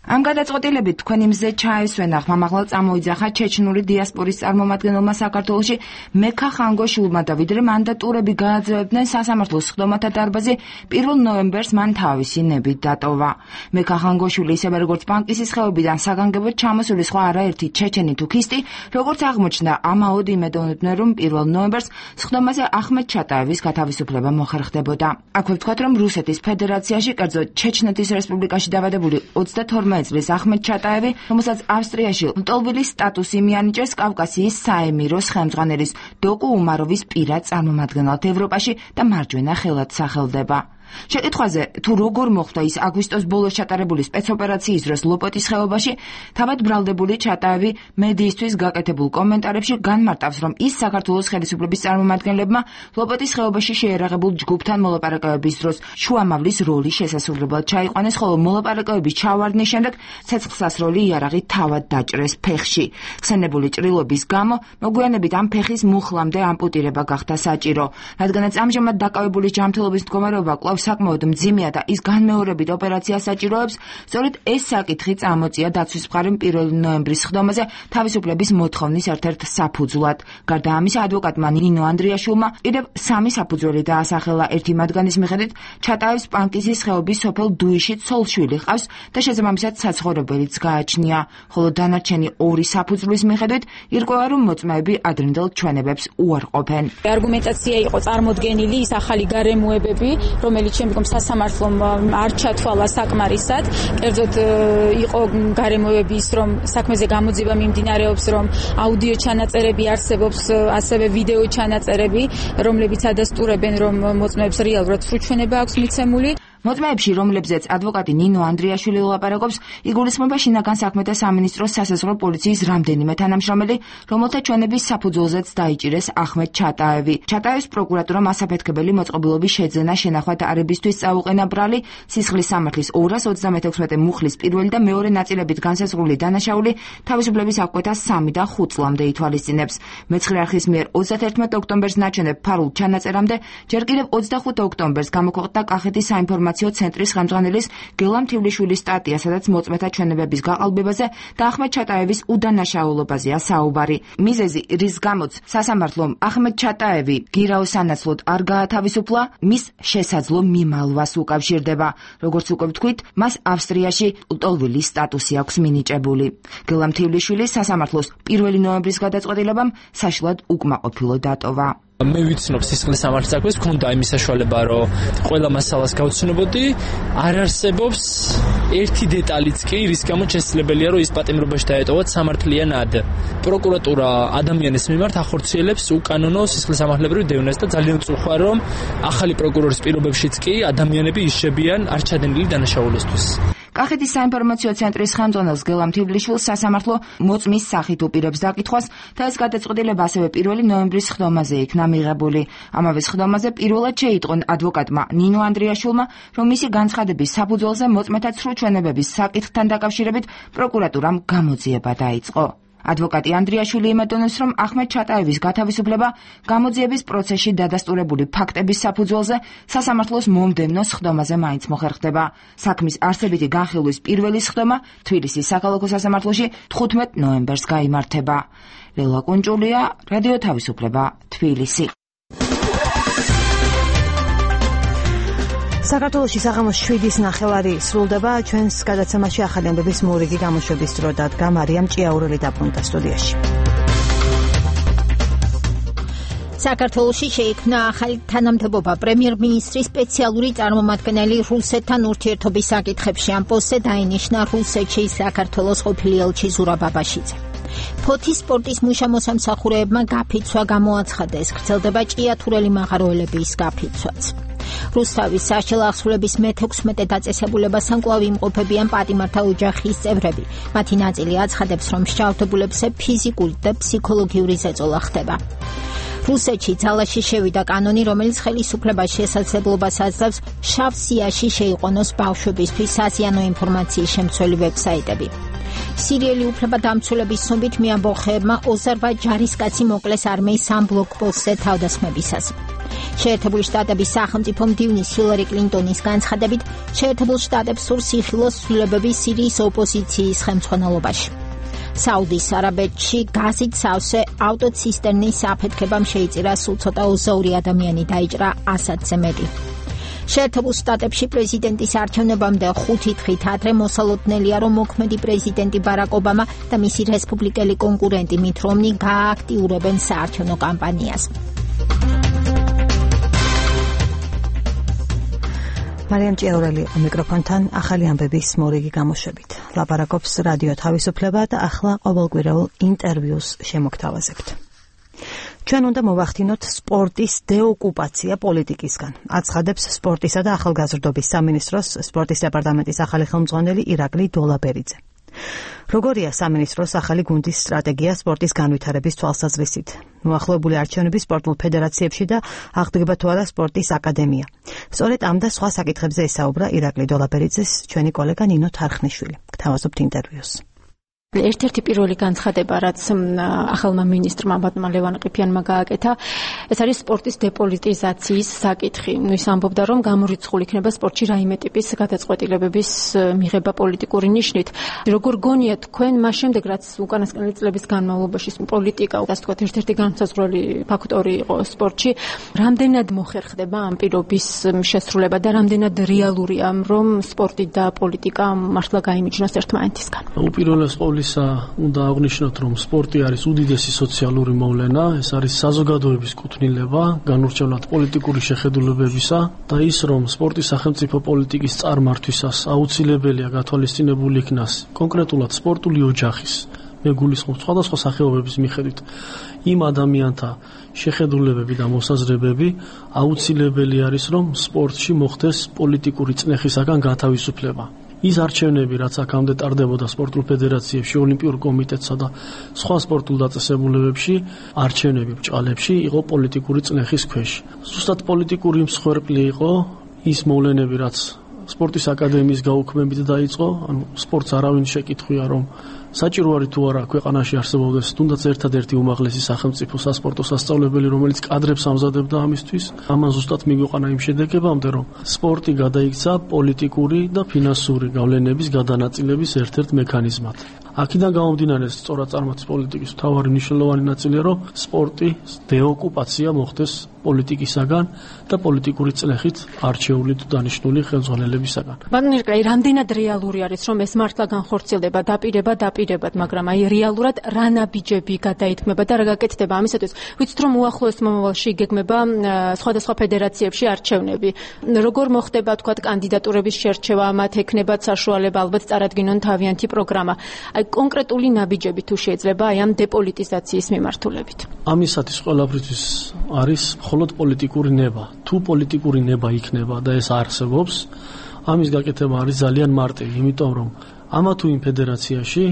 ამ გადაწყვეტილებით თქვენი მზე ჩაესვენა ხმამაღლა წამოიძახა ჩეჩნური დიასპორის წარმომადგენელმა საქართველოში მექა ხანგოშულმა და ვიდრე მანდატურები გააძლევდნენ სასამართლოს სხდომათა დარბაზი 1 ნოემბერს მან თავისი ნებით დატოვა. მექა ხანგოშვილი ისევე როგორც ბანკისის ხეობიდან საგანგებოდ ჩამოსული სხვა არაერთი ჩეჩენი თუქისტი, როგორც აღმოჩნდა, ამაოდ იმედოვნებდნენ, რომ 1 ნოემბერს სხდომაზე ახმეტ ჩატაევის გათავისუფლება მოხერხდებოდა. აქვე ვთქვათ, რომ რუსეთის ფედერაციაში, კერძოდ ჩეჩნეთის რესპუბლიკაში დაბადებული 22 წლის ახმეტ ჩატაევი, რომელსაც ავსტრიაში ლტოლვილის სტატუსი მიანიჭეს კავკასიის საემიროს ხელმძღვანელის დოკუ უმაროვის პირად წარმომადგენლად ევროპაში და მარჯვენა ხელად სახელდება. შეკითხვაზე თუ როგორ მოხდა ის აგვისტოს ბოლოს ჩატარებული სპეცოპერაციის დროს ლოპოტის ხეობაში, თავად ბრალდებული ჩატაევი მედიისთვის გაკეთებულ კომენტარებში განმარტავს, რომ ის საქართველოს ხელისუფლების წარმომადგენლებმა ლოპოტის ხეობაში შეერაღებულ ჯგუფთან მოლაპარაკებების დროს შუამავლის როლი შესასრულებლად ჩაიყვანეს, ხოლო მოლაპარაკებების ჩავარდნის შემდეგ ცეცხლსასროლი იარაღი თავად დაჭრეს ფეხში. ხსენებული ჭრილობის გამო მოგვიანებით ამ ფეხის მუხლამდე ამპუტირება გახდა საჭირო, რადგანაც ამჟამად დაკავებულის ჯანმრთელობის მდგომარეობა კვლავ საკმაოდ მძიმეა და ის განმეორებით ოპერაციას საჭიროებს, სწორედ ეს საკითხი წამოწია დაცვის მხარემ 1 ნოემბრის სხდომაზე თავისუფლების მოთხოვნის ერთ-ერთ საფუძვლად. გარდა ამისა, ადვოკატმა ნინო ანდრიაშვილმა კიდევ 3 საფუძველი დაასახელა. ერთი მათგანის მიხედვით ჩატაევს პანკისის ხეობის სოფელ დუიში ცოლ-შვილი ჰყავს და შესაბამისად საცხოვრებელიც გააჩნია, ხოლო დანარჩენი 2 საფუძვლის მიხედვით ირკვევა, რომ მოწმეები ადრინდელ ჩვენებებს უარყოფენ. არგუმენტაცია იყო წარმოდგენილი ის ახალი გარემოებები, რომელიც შემდგომ სასამართლომ არ ჩათვალა საკმარისად, კერძოდ იყო გარემოებების, რომ საქმეზე გამოძიება მიმდინარეობს, რომ აუდიო ჩანაწერები არსებობს, ასევე ვიდეო ჩანაწერები, რომლებიც ადასტურებენ, რომ მოწმეებს რეალურად სრუჩვენება აქვს მიცემული. მოწმეებში, რომლებზეც ადვოკატი ნინო ანდრიაშვილი ელაპარაკობს, იგულისხმება შინაგან საქმეთა სამინისტროს სასაზღვრო პოლიციის რამდენიმე თანამშრომელი, რომელთა ჩვენების საფუძველზეც დაიჭირეს ახმეტ ჩატაევი. ჩატაევის პროკურატურამ ასაფეთქებელი მოწყობილობის შეძენა შენახვა არებისთვის წაუყენა ბრალი, სისხლის სამართლის 236 მუხლის პირველი და მეორე ნაწილებით განსაზღვრული დანაშაული თავისუფლების აღკვეთას 3 და 5 წლამდე ითვალისწინებს. მეცხრე არხის მიერ 31 ოქტომბერს ნაჩვენებ ფარულ ჩანაწერამდე, ჯერ კიდევ 25 ოქტომბერს გამოქვეყნდა კახეთის საინფორმაციო ცენტრის ხელმძღვანელის გელამ თივლიშვილის სტატია, სადაც მოწმეთა ჩვენებების გაყალბებაზე და ახმეტ ჩატაევის უდანაშაულობაზეა საუბარი. მიზეზი, რის გამოც სასამართლომ ახმეტ ჩატაევი გირაოს სანაცვლოდ არ გაათავისუფლა, მის შესაძლო მიმალვას უკავშირდება. როგორც უკვე ვთქვით, მას ავსტრიაში ლტოლვილის სტატუსი აქვს მინიჭებული. გელამ თივლიშვილის სასამართლოს 1 ნოემბრის გადაწყვეტილებამ საშლად უკმაყოფილო დატოვა. მე ვიცნობ სისხლის სამართლის საქმეს, ქონდა იმის საშუალება, რომ ყველა მასალას გავცნობოდი, არ არსებობს ერთი დეტალიც კი, რის გამოც შესაძლებელია, რომ ის პატიმრობაში დაეტოვოთ სამართლიანად. პროკურატურა ადამიანის მიმართ ახორციელებს უკანონო სისხლის სამართლებრივ დევნას და ძალიან ვწუხარ, რომ ახალი პროკურორის პირობებშიც კი ადამიანები იშებიან არ ჩადენილი დანაშაულისთვის. კახეთის საინფორმაციო ცენტრის ხელმძღვანელს გელამ თივლიშვილს სასამართლო მოწმის სახით უპირებს დაკითხვას და ეს გადაწყვეტილება ასევე 1 ნოემბრის სხდომაზე იქნა მიღებული. ამავე სხდომაზე პირველად შეიტყონ ადვოკატმა ნინო ანდრიაშვილმა, რომ მისი განცხადების საფუძველზე მოწმეთა სრუჩვენებების საკითხთან დაკავშირებით პროკურატურამ გამოძიება დაიწყო. ადვოკატი ანდრიაშვილი იმედოვნებს, რომ ახმეტ ჩატაევის გათავისუფლება გამოძიების პროცესში დადასტურებული ფაქტების საფუძველზე სასამართლოს მომდევნო სხდომაზე მაინც მოხერხდება. საქმის არსებითი განხილვის პირველი სხდომა თბილისის საქალაქო სასამართლოში 15 ნოემბერს გაიმართება. ლელა კუნჭულია, რადიო თავისუფლება, თბილისი. საქართველოში საღამოს 7:09 სრულდება. ჩვენს გადაცემაში ახალი ამბების მორიგი გამოშვების დრო დადგა. მარიამ ჭიაურელი დაბრუნდა სტუდიაში. საქართველოში შეიქმნა ახალი თანამდებობა. პრემიერ-მინისტრის სპეციალური წარმომადგენელი რუსეთთან ურთიერთობის საკითხებში ამ პოსტზე დაინიშნა რუსეთში საქართველოს ყოფილი ელჩი ზურაბ აბაშიძე. ფოთის სპორტის მუშა-მოსამსახურეებმა გაფიცვა გამოაცხადეს. გრძელდება ჭიათურელი მაღაროელების გაფიცვაც. რუსთავის საშუალო აღსრულების მე-16 დაწესებულებასთან კვლავ იმყოფებიან პატიმართა ოჯახის წევრები. მათი ნაწილი აცხადებს, რომ მსჯავრდებულებზე ფიზიკური და ფსიქოლოგიური ზეწოლა ხდება. რუსეთში ძალაში შევიდა კანონი, რომელიც ხელისუფლებას შესაძლებლობას აძლევს შავ სიაში შეიყვანოს ბავშვებისთვის საზიანო ინფორმაციის შემცველი ვებსაიტები. სირიელი უფლებადამცველების ცნობით მეამბოხეებმა 28 ჯარისკაცი მოკლეს არმიის ამ ბლოკპოსტზე თავდასხმებისას. შეერთებული შტატების სახელმწიფო მდივნის ჰილარი კლინტონის განცხადებით, შეერთებულ შტატებს სურს იხილოს ცვლილებები სირიის ოპოზიციის ხელმძღვანელობაში. საუდის არაბეთში გაზით სავსე ავტოცისტერნის აფეთქებამ შეიწირა სულ ცოტა 22 ადამიანი დაიჭრა 100-ზე მეტი. შეერთებულ შტატებში პრეზიდენტის არჩევნებამდე 5 დღით ადრე მოსალოდნელია, რომ მოქმედი პრეზიდენტი ბარაკ ობამა და მისი რესპუბლიკელი კონკურენტი მით რომნი გააქტიურებენ საარჩევნო კამპანიას. მარიამ ჭიაურელი მიკროფონთან ახალი ამბების მორიგი გამოშვებით. ლაპარაკობს რადიო თავისუფლება და ახლა ყოველკვირეულ ინტერვიუს შემოგთავაზებთ. ჩვენ უნდა მოვახდინოთ სპორტის დეოკუპაცია პოლიტიკისგან. აცხადებს სპორტისა და ახალგაზრდობის სამინისტროს სპორტის დეპარტამენტის ახალი ხელმძღვანელი ირაკლი დოლაბერიძე. როგორია სამინისტროს ახალი გუნდის სტრატეგია სპორტის განვითარების თვალსაზრისით? მოახლოებული არჩევნები სპორტულ ფედერაციებში და აღდგება თუ არა სპორტის აკადემია. სწორედ ამ და სხვა საკითხებზე ესაუბრა ირაკლი დოლაბერიძეს ჩვენი კოლეგა ნინო თარხნიშვილი. გთავაზობთ ინტერვიუს. ერთ-ერთი პირველი განცხადება, რაც ახალმა მინისტრმა ბატონმა ლევან ყიფიანმა გააკეთა, ეს არის სპორტის დეპოლიტიზაციის საკითხი. ის ამბობდა, რომ გამორიცხული იქნება სპორტში რაიმე ტიპის გადაწყვეტილებების მიღება პოლიტიკური ნიშნით. როგორ გონიათ თქვენ მას შემდეგ, რაც უკანასკნელი წლების განმავლობაში პოლიტიკა, ასე ვთქვათ, ერთ-ერთი განმსაზღვრელი ფაქტორი იყო სპორტში, რამდენად მოხერხდება ამ პირობის შესრულება და რამდენად რეალურია, რომ სპორტი და პოლიტიკა მართლა გაიმიჯნოს ერთმანეთისგან? უპირველეს უნდა აღნიშნოთ, რომ სპორტი არის უდიდესი სოციალური მოვლენა, ეს არის საზოგადოების კუთვნილება, განურჩევლად პოლიტიკური შეხედულებებისა და ის, რომ სპორტი სახელმწიფო პოლიტიკის წარმართვისას აუცილებელია გათვალისწინებული იქნას კონკრეტულად სპორტული ოჯახის, მე გულისხმობ სხვადასხვა სახეობების მიხედვით იმ ადამიანთა შეხედულებები და მოსაზრებები, აუცილებელი არის, რომ სპორტში მოხდეს პოლიტიკური წნეხისაგან გათავისუფლება. ის არჩევნები, რაც აქამდე ტარდებოდა სპორტულ ფედერაციებში, ოლიმპიურ კომიტეტსა და სხვა სპორტულ დაწესებულებებში, არჩევნები ბჭყალებში იყო პოლიტიკური წნეხის ქვეშ. ზუსტად პოლიტიკური მსხვერპლი იყო ის მოვლენები, რაც სპორტის აკადემიის გაუქმებით დაიწყო, ანუ სპორტს არავინ შეკითხვია, რომ საჭირო არის თუ არა ქვეყანაში არსებობდეს თუნდაც ერთადერთი უმაღლესი სახელმწიფო სასპორტო სასწავლებელი, რომელიც კადრებს ამზადებდა ამისთვის. ამან ზუსტად მიგვიყვანა იმ შედეგებამდე, რომ სპორტი გადაიქცა პოლიტიკური და ფინანსური გავლენების გადანაწილების ერთ-ერთ მექანიზმად. აქედან გამომდინარე, სწორად წარმართის პოლიტიკის მთავარი მნიშვნელოვანი ნაწილია, რომ სპორტის დეოკუპაცია მოხდეს პოლიტიკისაგან და პოლიტიკური წლეხით არჩეული თუ დანიშნული ხელმძღვანელებისაგან. ბატონ ირაკლი, რამდენად რეალური არის, რომ ეს მართლა განხორციელდება დაპირებად, მაგრამ აი რეალურად რა ნაბიჯები გადაითქმება და რა გაკეთდება ამისათვის? ვიცით, რომ უახლოეს მომავალში იგეგმება სხვადასხვა ფედერაციებში არჩევნები. როგორ მოხდება, თქვათ, კანდიდატურების შერჩევა, მათ ექნებათ საშუალება, ალბათ წარადგინონ თავიანთი პროგრამა. აი კონკრეტული ნაბიჯები თუ შეიძლება აი ამ დეპოლიტიზაციის მიმართულებით. ამისათვის ყველაფრისთვის არის მხოლოდ პოლიტიკური ნება. თუ პოლიტიკური ნება იქნება და ეს არსებობს, ამის გაკეთება არის ძალიან მარტივი, იმიტომ რომ ამა თუ იმ ფედერაციაში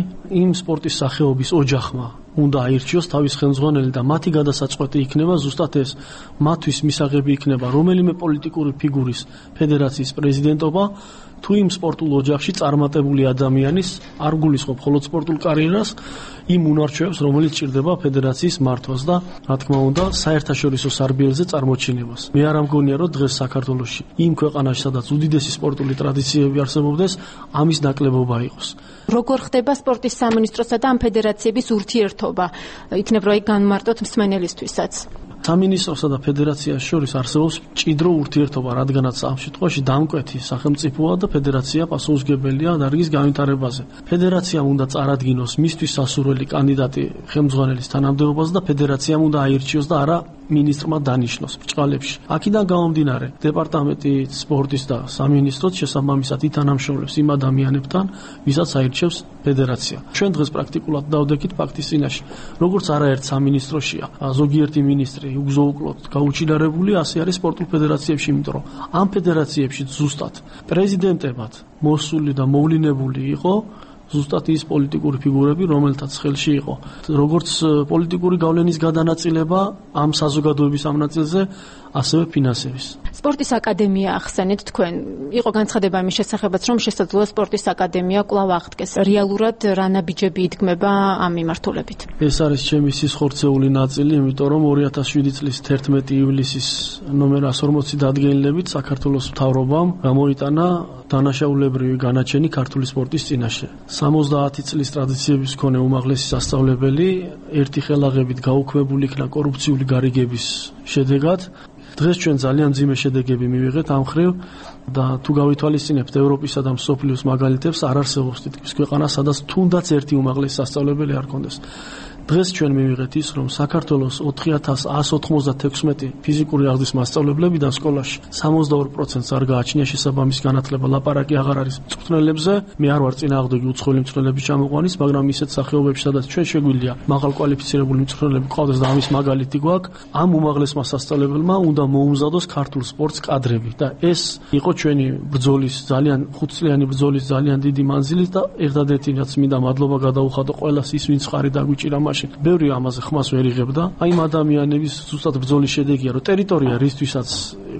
იმ სპორტის სახეობის ოჯახმა უნდა აირჩიოს თავის ხელმძღვანელი და მათი გადასაწყვეტი იქნება ზუსტად ეს. მათთვის მისაღები იქნება რომელიმე პოლიტიკური ფიგურის ფედერაციის პრეზიდენტობა, თუ იმ სპორტულ ოჯახში წარმატებული ადამიანის არ გულისხმობ მხოლოდ სპორტულ კარიერას, იმ უნარჩვევებს, რომელიც ჭირდება ფედერაციის მართვას და რა თქმა უნდა საერთაშორისო სარბიელზე წარმოჩინებას. მე არ ამგონია, რომ დღეს საქართველოში იმ ქვეყანაში, სადაც უდიდესი სპორტული ტრადიციები არსებობდეს, ამის ნაკლებობა იყოს. როგორ ხდება სპორტის სამინისტროსა და ამ ფედერაციების ურთიერთობა? იქნებ რომ განმარტოთ მსმენელისთვისაც. სამინისტროსა და ფედერაციას შორის არსებობს მჭიდრო ურთიერთობა, რადგანაც ამ შემთხვევაში დამკვეთი სახელმწიფოა და ფედერაცია პასუხისმგებელია დარგის განვითარებაზე. ფედერაციამ უნდა წარადგინოს მისთვის სასურველი კანდიდატი ხელმძღვანელის თანამდებობაზე და ფედერაციამ უნდა აირჩიოს და არა მინისტრმა დანიშნოს ბრჭყალებში. აქედან გამომდინარე, დეპარტამენტი სპორტის და სამინისტროც შესაბამისად ითანამშრომლებს იმ ადამიანებთან, ვისაც აირჩევს ფედერაცია. ჩვენ დღეს პრაქტიკულად დავდექით ფაქტის წინაშე. როგორც არაერთ სამინისტროშია ზოგიერთი მინისტრი უგზო-უკლოდ გაუჩინარებული, ასე არის სპორტულ ფედერაციებში, იმიტომ რომ ამ ფედერაციებში ზუსტად პრეზიდენტებად მოსული და მოვლინებული იყო ზუსტად ის პოლიტიკური ფიგურები, რომელთაც ხელში იყო როგორც პოლიტიკური გავლენის გადანაწილება ამ საზოგადოების ამ ნაწილზე, ასევე ფინანსების. სპორტის აკადემია ახსენეთ თქვენ. იყო განცხადება იმის შესახებაც, რომ შესაძლოა სპორტის აკადემია კვლავ აღდგეს. რეალურად რა ნაბიჯები იდგმება ამ მიმართულებით? ეს არის ჩემი სისხორცეული ნაწილი, იმიტომ რომ 2007 წლის 11 ივლისის ნომერ 140 დადგენილებით საქართველოს მთავრობამ გამოიტანა დანაშაულებრივი განაჩენი ქართული სპორტის წინაშე. 70 წლის ტრადიციების მქონე უმაღლესი სასწავლებელი ერთი ხელაღებით გაუქმებული იქნა კორუფციული გარიგების შედეგად. დღეს ჩვენ ძალიან მძიმე შედეგები მივიღეთ ამ მხრივ და თუ გავითვალისწინებთ ევროპისა და მსოფლიოს მაგალითებს, არ არსებობს თითქმის ქვეყანა, სადაც თუნდაც ერთი უმაღლესი სასწავლებელი არ ქონდეს. დღეს ჩვენ მივიღეთ ის, რომ საქართველოს 4196 ფიზიკური აღზრდის მასწავლებლებიდან სკოლაში 62%-ს არ გააჩნია შესაბამის განათლება. ლაპარაკი აღარ არის მწვრთნელებზე. მე არ ვარ წინააღმდეგი უცხოელი მწვრთნელების ჩამოყვანის, მაგრამ ისეთ სახეობებში, სადაც ჩვენ შეგვიძლია მაღალ კვალიფიცირებული მწვრთნელები ყავდეს და ამის მაგალითი გვაქვს, ამ უმაღლესმა სასწავლებელმა უნდა მოუმზადოს ქართულ სპორტს კადრები და ეს იყო ჩვენი ბრძოლის, ძალიან ხუთწლიანი ბრძოლის ძალიან დიდი მანძილი და ერთადერთი რაც მინდა მადლობა გადაუხადო ყველას ის, ვინც ხარი დაგვიჭირა მაშინ. ბევრი ამაზე ხმას ვერ იღებდა. აი ამ ადამიანების ზუსტად ბრძოლის შედეგია, რომ ტერიტორია რისთვისაც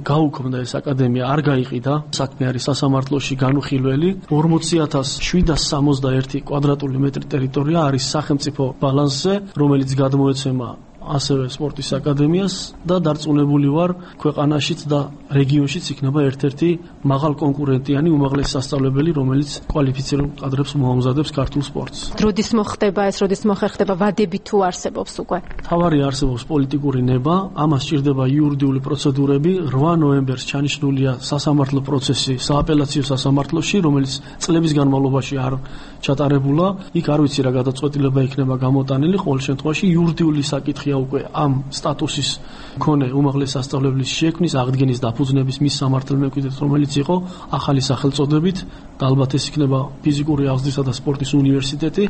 გაუქმდა ეს აკადემია არ გაიყიდა. საქმე არის სასამართლოში განუხილველი. 40761 კვადრატული მეტრი ტერიტორია არის სახელმწიფო ბალანსზე, რომელიც გადმოეცემა ასევე სპორტის აკადემიას და დარწმუნებული ვარ ქვეყანაშიც და რეგიონშიც იქნება ერთ-ერთი მაღალ კონკურენტიანი უმაღლესი სასწავლებელი, რომელიც კვალიფიცირებულ კადრებს მოამზადებს ქართულ სპორტს. როდის მოხდება ეს, როდის მოხერხდება, ვადები თუ არსებობს უკვე? თავარი არსებობს პოლიტიკური ნება, ამას სჭირდება იურიდიული პროცედურები. 8 ნოემბერს ჩანიშნულია სასამართლო პროცესი სააპელაციო სასამართლოში, რომელიც წლების განმავლობაში არ ჩატარებულა. იქ არ ვიცი რა გადაწყვეტილება იქნება გამოტანილი, ყოველ შემთხვევაში იურიდიული საკითხია უკვე ამ სტატუსის მქონე უმაღლესი სასწავლებლის შექმნის, აღდგენის, დაფუძნების მის სამართალმემკვიდრედ, რომელიც იყო ახალი სახელწოდებით და ალბათ ეს იქნება ფიზიკური აღზრდისა და სპორტის უნივერსიტეტი.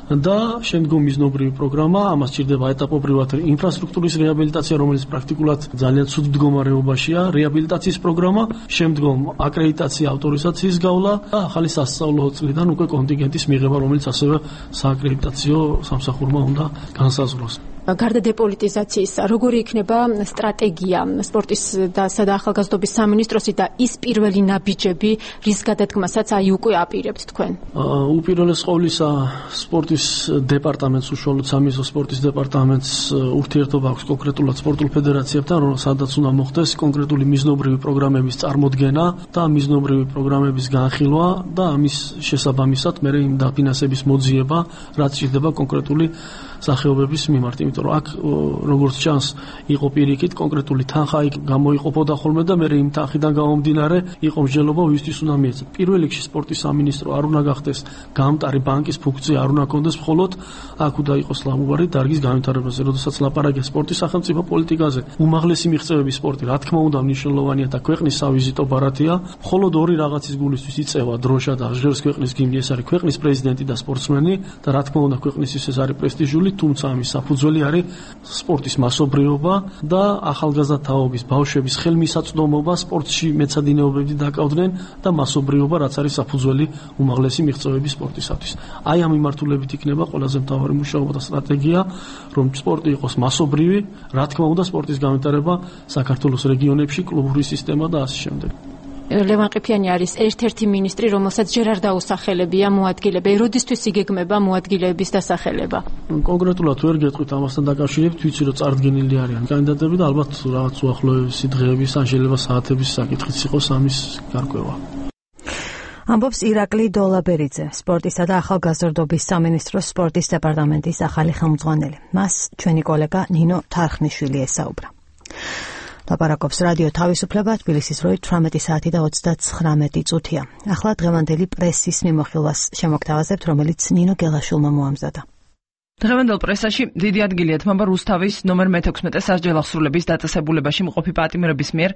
და შემდგომ მიზნობრივი პროგრამა, ამას სჭირდება ეტაპობრივად ინფრასტრუქტურის რეაბილიტაცია, რომელიც პრაქტიკულად ძალიან ცუდ მდგომარეობაშია, რეაბილიტაციის პროგრამა, შემდგომ აკრედიტაცია, ავტორიზაციის გავლა და ახალი სასწავლო წლიდან უკვე კონტინგენტის მიღება, რომელიც ასევე სააკრედიტაციო სამსახურმა უნდა განსაზღვროს. გარდა დეპოლიტიზაციის, როგორი იქნება სტრატეგია სპორტის და ახალგაზრდობის სამინისტროსი და ის პირველი ნაბიჯები, რის გადადგმასაც აი უკვე აპირებთ თქვენ? უპირველეს ყოვლისა, სპორტის დეპარტამენტს, უშუალოდ სამინისტრო სპორტის დეპარტამენტს ურთიერთობა აქვს კონკრეტულად სპორტულ ფედერაციებთან, სადაც უნდა მოხდეს კონკრეტული მიზნობრივი პროგრამების წარმოდგენა და მიზნობრივი პროგრამების განხილვა და ამის შესაბამისად მერე იმ დაფინანსების მოძიება, რაც სჭირდება კონკრეტული სახეობების მიმართ, იმიტომ რომ აქ როგორც ჩანს იყო პირიქით კონკრეტული თანხა იქ გამოიყოფოდა ხოლმე და მე იმ თანხიდან გამომდინარე იყო მსჯელობა ვისთვის უნდა მიეცათ. პირველ რიგში სპორტის სამინისტრო არ უნდა გახდეს გამტარი ბანკის ფუნქცია, არ უნდა კონდეს მხოლოდ აქ უნდა იყოს ლამუარი დარგის განვითარებაზე, როდესაც ლაპარაკია სპორტის სახელმწიფო პოლიტიკაზე. უმაღლესი მიღწევების სპორტი, რა თქმა უნდა, მნიშვნელოვანია და ქვეყნის სავიზიტო ბარათია. მხოლოდ ორი რაღაცის გულისთვის იწევა დროშა და ჟღერს ქვეყნის გიმნი, ეს არის ქვეყნის პრეზიდენტი და სპორტსმენი და რა თქმა უნდა ქვეყნისთვის ეს არის პრესტიჟული, თუმცა ამის საფუძველი არის სპორტის მასობრიობა და ახალგაზრდა თაობის ბავშვების ხელმისაწვდომობა სპორტში მეცადინეობები დაკავდნენ და მასობრიობა, რაც არის საფუძველი უმაღლესი მიღწევების სპორტისათვის. აი ამ მიმართულებით იქნება ყველაზე მთავარი მუშაობა და სტრატეგია, რომ სპორტი იყოს მასობრივი, რა თქმა უნდა სპორტის განვითარება საქართველოს რეგიონებში, კლუბური სისტემა და ასე შემდეგ. ლევან ყიფიანი არის ერთ-ერთი მინისტრი, რომელსაც ჯერ არ დაუსახელებია მოადგილება. როდისთვის იგეგმება მოადგილეების დასახელება? კონკრეტულად ვერ გეტყვით ამასთან დაკავშირებით, ვიცი რომ წარდგენილი არიან კანდიდატები და ალბათ რაღაც უახლოესი დღეების ან შეიძლება საათების საკითხიც იყოს ამის გარკვევა. ამბობს ირაკლი დოლაბერიძე, სპორტისა და ახალგაზრდობის სამინისტროს სპორტის დეპარტამენტის ახალი ხელმძღვანელი. მას ჩვენი კოლეგა ნინო თარხნიშვილი ესაუბრა. ლაპარაკობს რადიო თავისუფლება, თბილისის დროით 18 საათი და 39 წუთია. ახლა დღევანდელი პრესის მიმოხილვას შემოგთავაზებთ, რომელიც ნინო გელაშვილმა მოამზადა. დღევანდელ პრესაში დიდი ადგილი ეთმობა რუსთავის ნომერ 16 სასჯელ აღსრულების დაწესებულებაში მყოფი პატიმრების მიერ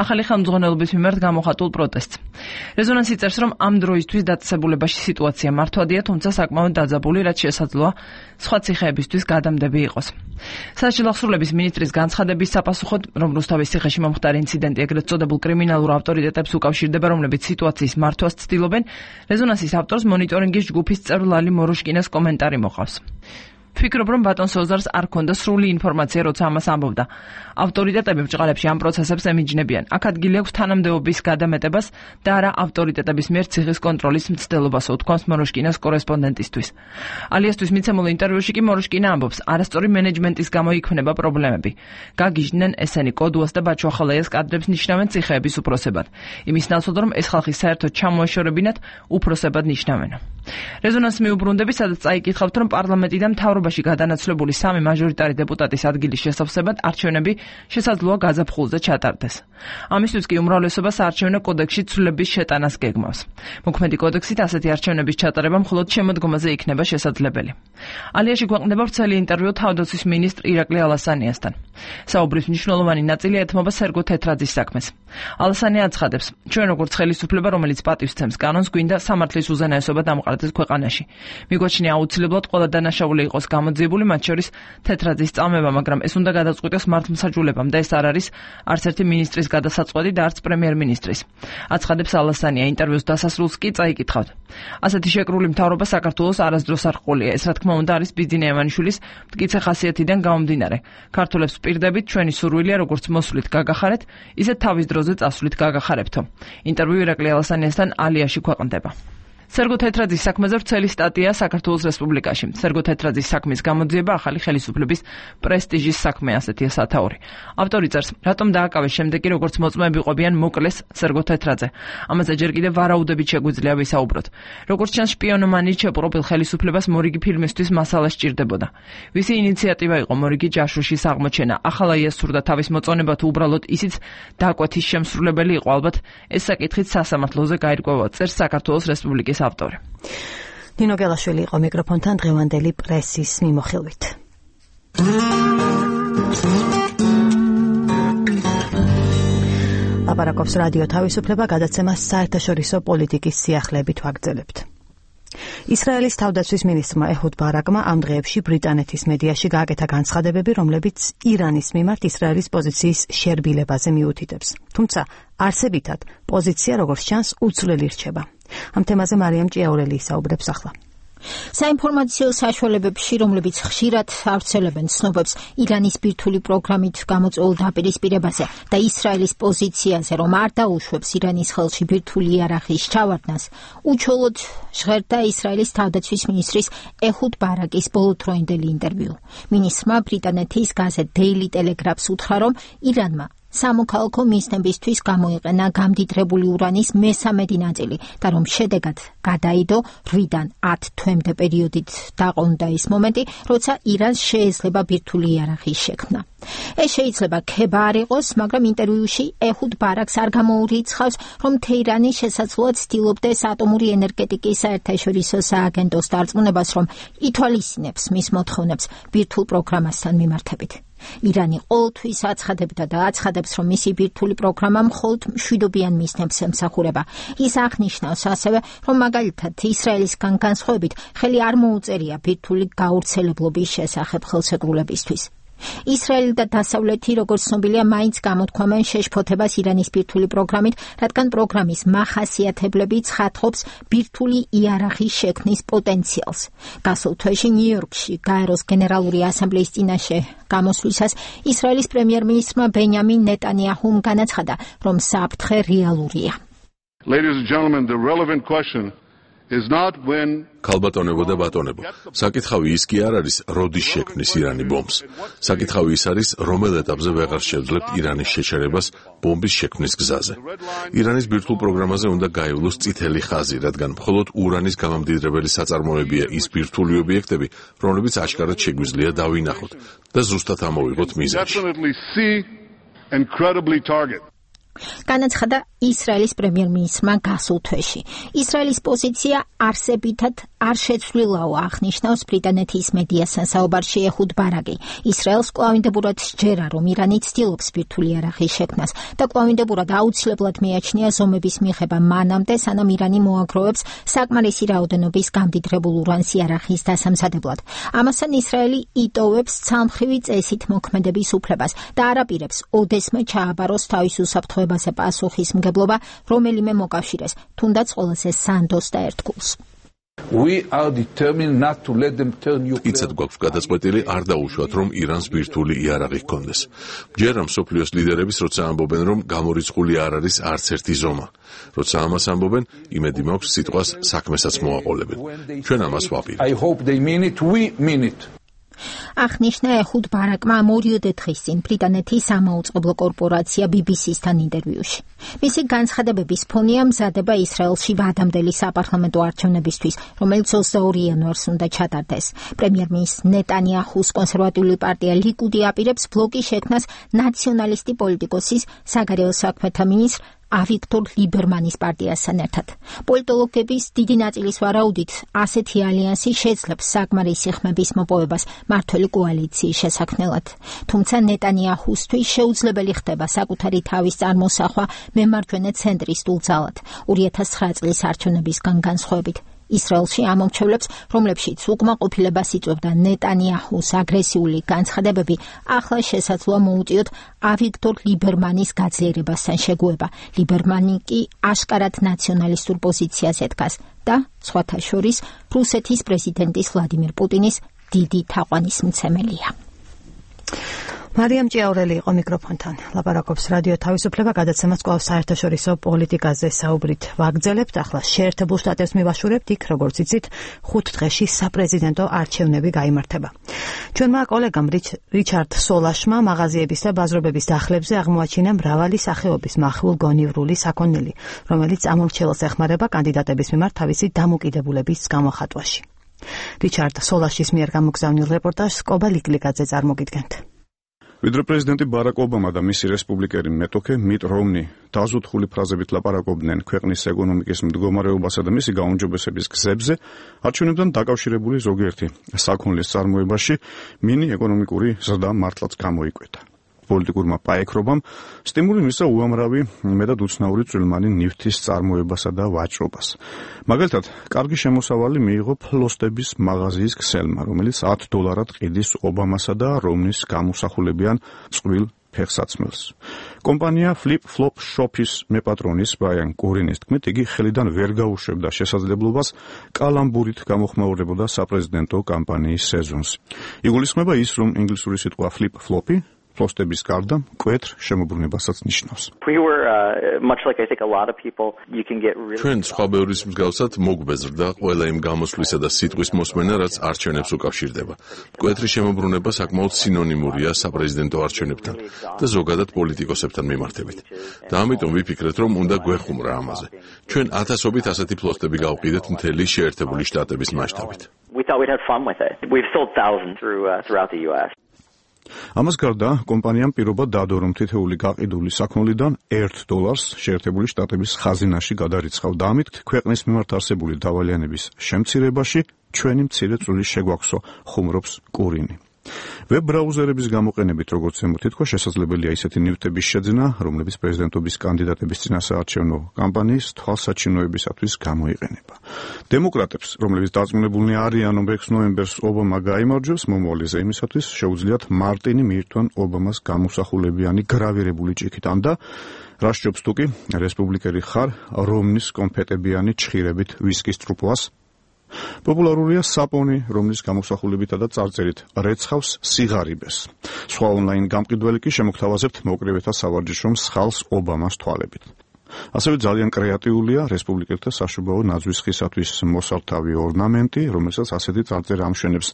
ახალი ხელმძღვანელობის მიმართ გამოხატულ პროტესტს. რეზონანსი წერს, რომ ამ დროისთვის დაწესებულებაში სიტუაცია მართვადია, თუმცა საკმაოდ დაძაბული, რაც შესაძლოა სხვა ციხეებისთვის გადამდები იყოს. სასჯელ აღსრულების მინისტრის განცხადების საპასუხოდ, რომ რუსთავის ციხეში მომხდარი ინციდენტი ეგრეთ წოდებულ კრიმინალურ ავტორიტეტებს უკავშირდება, რომლებიც სიტუაციის მართვას ცდილობენ, რეზონანსის ავტორს მონიტორინგის ჯგუფის წევრ ლალი მოროშკინას კომენტარი მოყავს. ვფიქრობ, რომ ბატონ სოზარს არ ქონდა სრული ინფორმაცია, როცა ამას ამბობდა. ავტორიტეტები ბჭყალებში ამ პროცესებს ემიჯნებიან. აქ ადგილი აქვს თანამდებობის გადამეტებას და არა ავტორიტეტების მიერ ციხის კონტროლის მცდელობას, უთქვამს მოროშკინას კორესპონდენტისთვის. ალიასთვის მიცემულ ინტერვიუში კი მოროშკინა ამბობს, არასწორი მენეჯმენტის გამო იქმნება პრობლემები. გაგიჟდნენ ესენი კოდუას და ბაჩუახალაიას კადრებს ნიშნავენ ციხეების უფროსებად. იმის ნაცვლად, რომ ეს ხალხი საერთოდ ჩამოეშორებინათ, უფროსებად ნიშნავენ. რეზონანსს მიუბრუნდები, სადაც წაიკითხავთ, რომ პარლამენტიდან მთავრობაში გადანაცვლებული 3 მაჟორიტარი დეპუტატის ადგილის შესავსებად არჩევნები შესაძლოა გაზაფხულზე ჩატარდეს. ამისთვის კი უმრავლესობა საარჩევნო კოდექსში ცვლილების შეტანას გეგმავს. მოქმედი კოდექსით ასეთი არჩევნების ჩატარება მხოლოდ შემოდგომაზე იქნება შესაძლებელი. ალიაში გვაყენდება ვრცელი ინტერვიუ თავდაცვის მინისტრ ირაკლი ალასანიასთან. საუბრის მნიშვნელოვანი ნაწილი ეთმობა სერგო თეთრაძის საქმეს. ალასანია აცხადებს, ჩვენ როგორც ხელისუფლება, რომელიც პატივს ცემს კანონს, გვინდა სამართლის უზენაესობა დამყარდეს ქვეყანაში. მიგვაჩნია აუცილებლად ყველა დანაშაული იყოს გამოძიებული, მათ შორის თეთრაძის წამება, მაგრამ ეს უნდა გადაწყვიტოს მართლმსაჯულებამ და ეს არ არის არც ერთი მინისტრის გადასაწყვეტი და არც პრემიერ-მინისტრის. აცხადებს ალასანია ინტერვიუს დასასრულს კი წაიკითხავთ. ასეთი შეკრული მთავრობა საქართველოს არასდროს არ ჰყოლია. ეს რა თქმა უნდა არის ბიძინა ევანიშვილის მტკიცე ხასიათიდან გამომდინარე. ქართველებს პირდებით ჩვენი სურვილია როგორც მოსვლით გაგახარეთ, ისე თავის დროზე წასვლით გაგახარებთო. ინტერვიუ ირაკლი ალასანიასთან ალიაში ქვეყნდება. სერგო თეთრაძის საქმეზე ვრცელი სტატია საქართველოს რესპუბლიკაში. სერგო თეთრაძის საქმის გამოძიება ახალი ხელისუფლების პრესტიჟის საქმე, ასეთია სათაური. ავტორი წერს, რატომ დააკავეს შემდეგ კი როგორც მოწმეები ყვებიან მოკლეს სერგო თეთრაძე. ამაზე ჯერ კიდევ ვარაუდებით შეგვიძლია ვისაუბროთ. როგორც ჩანს, შპიონომანიით შეპყრობილ ხელისუფლებას მორიგი ფილმისთვის მასალა სჭირდებოდა. ვისი ინიციატივა იყო მორიგი ჯაშუშის აღმოჩენა? ახალაიას სურდა თავის მოწონება თუ უბრალოდ ისიც დაკვეთის შემსრულებელი იყო? ალბათ ეს საკითხით სასამართლოზე გაირკვევა, წერს საქართველოს რესპუბლიკის ავტორი. ნინო გელაშვილი იყო მიკროფონთან დღევანდელი პრესის მიმოხილვით. აპარაკობს რადიო თავისუფლება, გადაცემას საერთაშორისო პოლიტიკის სიახლეებით ვაგრძელებთ. ისრაელის თავდაცვის მინისტრმა ეჰუდ ბარაკმა ამ დღეებში ბრიტანეთის მედიაში გააკეთა განცხადებები, რომლებიც ირანის მიმართ ისრაელის პოზიციის შერბილებაზე მიუთითებს. თუმცა არსებითად პოზიცია, როგორც ჩანს, უცვლელი რჩება. ამ თემაზე მარიამ ჭიაურელი ისაუბრებს ახლა. საინფორმაციო საშუალებებში, რომლებიც ხშირად ავრცელებენ ცნობებს ირანის ბირთვული პროგრამით გამოწვეულ დაპირისპირებაზე და ისრაელის პოზიციაზე, რომ არ დაუშვებს ირანის ხელში ბირთვული იარაღის ჩავარდნას, უჩვეულოდ ჟღერდა ისრაელის თავდაცვის მინისტრის ეჰუდ ბარაკის ბოლოდროინდელი ინტერვიუ. მინისტრმა ბრიტანეთის გაზეთ Daily Telegraph-ს უთხრა, რომ ირანმა სამოქალაქო მიზნებისთვის გამოიყენა გამდიდრებული ურანის მესამედი ნაწილი და რომ შედეგად გადაიდო 8-დან 10 თვემდე პერიოდით დაყოლდა ის მომენტი, როცა ირანს შეეძლება ბირთვული იარაღის შექმნა. ეს შეიძლება ქება არ იყოს, მაგრამ ინტერვიუში ეჰუდ ბარაკს არ გამოურიცხავს, რომ თეირანი შესაძლოა ცდილობდეს ატომური ენერგეტიკის საერთაშორისო სააგენტოს დარწმუნებას, რომ ითვალისწინებს მის მოთხოვნებს ბირთვულ პროგრამასთან მიმართებით. ირანი ყოველთვის აცხადებდა და აცხადებს, რომ მისი ბირთვული პროგრამა მხოლოდ მშვიდობიან მიზნებს ემსახურება. ის აღნიშნავს ასევე, რომ მაგალითად ისრაელისგან განსხვავებით ხელი არ მოუწერია ბირთვული გავრცელებლობის შესახებ ხელშეკრულებისთვის. ისრაელი და დასავლეთი, როგორც ცნობილია, მაინც გამოთქვამენ შეშფოთებას ირანის ბირთვული პროგრამით, რადგან პროგრამის მახასიათებლები ცხადყოფს ბირთვული იარაღის შექმნის პოტენციალს. გასულ თვეში ნიუ-იორკში გაეროს გენერალური ასამბლეის წინაშე გამოსვლისას ისრაელის პრემიერ-მინისტრმა ბენიამინ ნეტანიაჰუმ განაცხადა, რომ საფრთხე რეალურია. Ladies and gentlemen, the relevant question is not when ქალბატონებო და ბატონებო, საკითხავი ის კი არ არის, როდის შექმნის ირანი ბომბს. საკითხავი ის არის, რომელ ეტაპზე ვეღარ შევძლებთ ირანის შეჩერებას ბომბის შექმნის გზაზე. ირანის ბირთვულ პროგრამაზე უნდა გაივლოს წითელი ხაზი, რადგან მხოლოდ ურანის გამამდიდრებელი საწარმოებია ის ბირთვული ობიექტები, რომლებიც აშკარად შეგვიძლია დავინახოთ და ზუსტად ამოვიღოთ მიზანში. განაცხადა ისრაელის პრემიერ-მინისტრმა გასულ თვეში. ისრაელის პოზიცია არსებითად არ შეცვლილაო, აღნიშნავს ბრიტანეთის მედიასთან საუბარში ეჰუდ ბარაკი. ისრაელს კვლავინდებურად სჯერა, რომ ირანი ცდილობს ბირთვული იარაღის შექმნას და კვლავინდებურად აუცილებლად მიაჩნია ზომების მიღება მანამდე, სანამ ირანი მოაგროვებს საკმარისი რაოდენობის გამდიდრებულ ურანს იარაღის დასამზადებლად. ამასთან ისრაელი იტოვებს ცალმხრივი წესით მოქმედების უფლებას და არ აპირებს ოდესმე ჩააბაროს თავის უსაფრთხოებაზე პასუხისმგებლობა რომელიმე მოკავშირეს, თუნდაც ყველაზე სანდოს და ერთგულს. იცად გვაქვს გადაწყვეტილი არ დაუშვათ, რომ ირანს ბირთვული იარაღი ჰქონდეს. ჯერა მსოფლიოს ლიდერების, როცა ამბობენ, რომ გამორიცხული არ არის არც ერთი ზომა. როცა ამას ამბობენ, იმედი მაქვს სიტყვას საქმესაც მოაყოლებენ. ჩვენ ამას ვაპირებთ. აღნიშნა ეჰუდ ბარაკმა მორიოდე დღის წინ ბრიტანეთის სამაუწყებლო კორპორაცია BBC-სთან ინტერვიუში. მისი განცხადებების ფონია მზადება ისრაელში ვადამდელი საპარლამენტო არჩევნებისთვის, რომელიც 22 იანვარს უნდა ჩატარდეს. პრემიერ-მინისტრ ნეტანიაჰუს კონსერვატიული პარტია ლიკუდი აპირებს ბლოკის შექმნას ნაციონალისტი პოლიტიკოსის საგარეო საქმეთა მინისტრ ავიქტორ ლიბერმანის პარტიასთან ერთად. პოლიტოლოგების დიდი ნაწილის ვარაუდით, ასეთი ალიანსი შეძლებს საკმარისი ხმების მოპოვებას მმართველი კოალიციის შესაქმნელად. თუმცა ნეტანიაჰუსთვის შეუძლებელი ხდება საკუთარი თავის წარმოსახვა მემარჯვენე ცენტრის დულძალად 2009 წლის არჩევნებისგან განსხვავებით. ისრაელში ამომრჩევლებს, რომლებშიც უკმაყოფილებას იწვევდა ნეტანიაჰუს აგრესიული განცხადებები, ახლა შესაძლოა მოუწიოთ ავიქტორ ლიბერმანის გაძლიერებასთან შეგუება. ლიბერმანი კი აშკარად ნაციონალისტურ პოზიციაზე დგას და, სხვათა შორის, რუსეთის პრეზიდენტის ვლადიმირ პუტინის დიდი თაყვანისმცემელია. მარიამ ჭიაურელი იყო მიკროფონთან. ლაპარაკობს რადიო თავისუფლება, გადაცემას კვლავ საერთაშორისო პოლიტიკაზე საუბრით ვაგრძელებთ. ახლა შეერთებულ შტატებს მივაშურებთ, იქ როგორც იცით, 5 დღეში საპრეზიდენტო არჩევნები გაიმართება. ჩვენმა კოლეგამ რიჩარდ სოლაშმა მაღაზიების და ბაზრობების დახლებზე აღმოაჩინა მრავალი სახეობის მახვილ-გონივრული საქონელი, რომელიც ამომრჩეველს ეხმარება კანდიდატების მიმართ თავისი დამოკიდებულების გამოხატვაში. რიჩარდ სოლაშის მიერ გამოგზავნილ რეპორტაჟს კობა ლიკლიკაძე წარმოგიდგენთ. ვიდრე პრეზიდენტი ბარაკ ობამა და მისი რესპუბლიკელი მეტოქე მიტ რომნი დაზუთხული ფრაზებით ლაპარაკობდნენ ქვეყნის ეკონომიკის მდგომარეობასა და მისი გაუმჯობესების გზებზე, არჩევნებთან დაკავშირებული ზოგიერთი საქონლის წარმოებაში მინი ეკონომიკური ზრდა მართლაც გამოიკვეთა. პოლიტიკურმა პაექრობამ სტიმული მისცა უამრავი მეტად უცნაური წვრილმანი ნივთის წარმოებასა და ვაჭრობას. მაგალითად, კარგი შემოსავალი მიიღო ფლოსტების მაღაზიის ქსელმა, რომელიც $10 ყიდის ობამასა და რომნის გამოსახულებიან წვრილ ფეხსაცმელს. კომპანია Flip Flop Shop-ის მეპატრონის ბრაიან კორინის თქმით, იგი ხელიდან ვერ გაუშვებდა შესაძლებლობას კალამბურით გამოხმაურებოდა საპრეზიდენტო კამპანიის სეზონს. იგულისხმება ის, რომ ინგლისური სიტყვა Flip Flop-ი ფლოსტების გარდა მკვეთრ შემოbrunებასაც ნიშნავს. ჩვენ სხვა ბევრის მსგავსად მოგვბეზრდა ყველა იმ გამოსვლისა და სიტყვის მოსმენა, რაც არჩევნებს უკავშირდება. მკვეთრი შემოbrunება საკმაოდ სინონიმურია საპრეზიდენტო არჩევნებთან და ზოგადად პოლიტიკოსებთან მიმართებით. და ამიტომ ვიფიქრეთ, რომ უნდა გვეხუმრა ამაზე. ჩვენ ათასობით ასეთი ფლოსტები გავყიდეთ მთელი შეერთებული შტატების მასშტაბით. ამას გარდა, კომპანიამ პირობა დადო, რომ თითოეული გაყიდული საქონლიდან $1 შეერთებული შტატების ხაზინაში გადარიცხავ და ამით ქვეყნის მიმართ არსებული დავალიანების შემცირებაში ჩვენი მცირე წვლილი შეგვაქვსო, ხუმრობს კურინი. ვებ ბრაუზერების გამოყენებით, როგორც ზემოთ ითქვა, შესაძლებელია ისეთი ნივთების შეძენა, რომლებიც პრეზიდენტობის კანდიდატების წინასაარჩევნო კამპანიის თვალსაჩინოებისათვის გამოიყენება. დემოკრატებს, რომლებიც დარწმუნებულნი არიან, რომ 6 ნოემბერს ობამა გაიმარჯვებს, მომავალი ზეიმისათვის შეუძლიათ მარტინი მიირთვან ობამას გამოსახულებიანი გრავირებული ჭიქით და რა სჯობს თუ კი რესპუბლიკელი ხარ რომნის კონფეტებიანი ჩხირებით ვისკის ტრუპლას. პოპულარულია საპონი, რომლის გამოსახულებითა და წარწერით რეცხავს სიღარიბეს. სხვა ონლაინ გამყიდველი კი შემოგთავაზებთ მოკრივეთა სავარჯიშო მსხალს ობამას თვალებით. ასევე ძალიან კრეატიულია რესპუბლიკელთა საშუბაო ნაძვის ხისათვის მოსართავი ორნამენტი, რომელსაც ასეთი წარწერა ამშვენებს.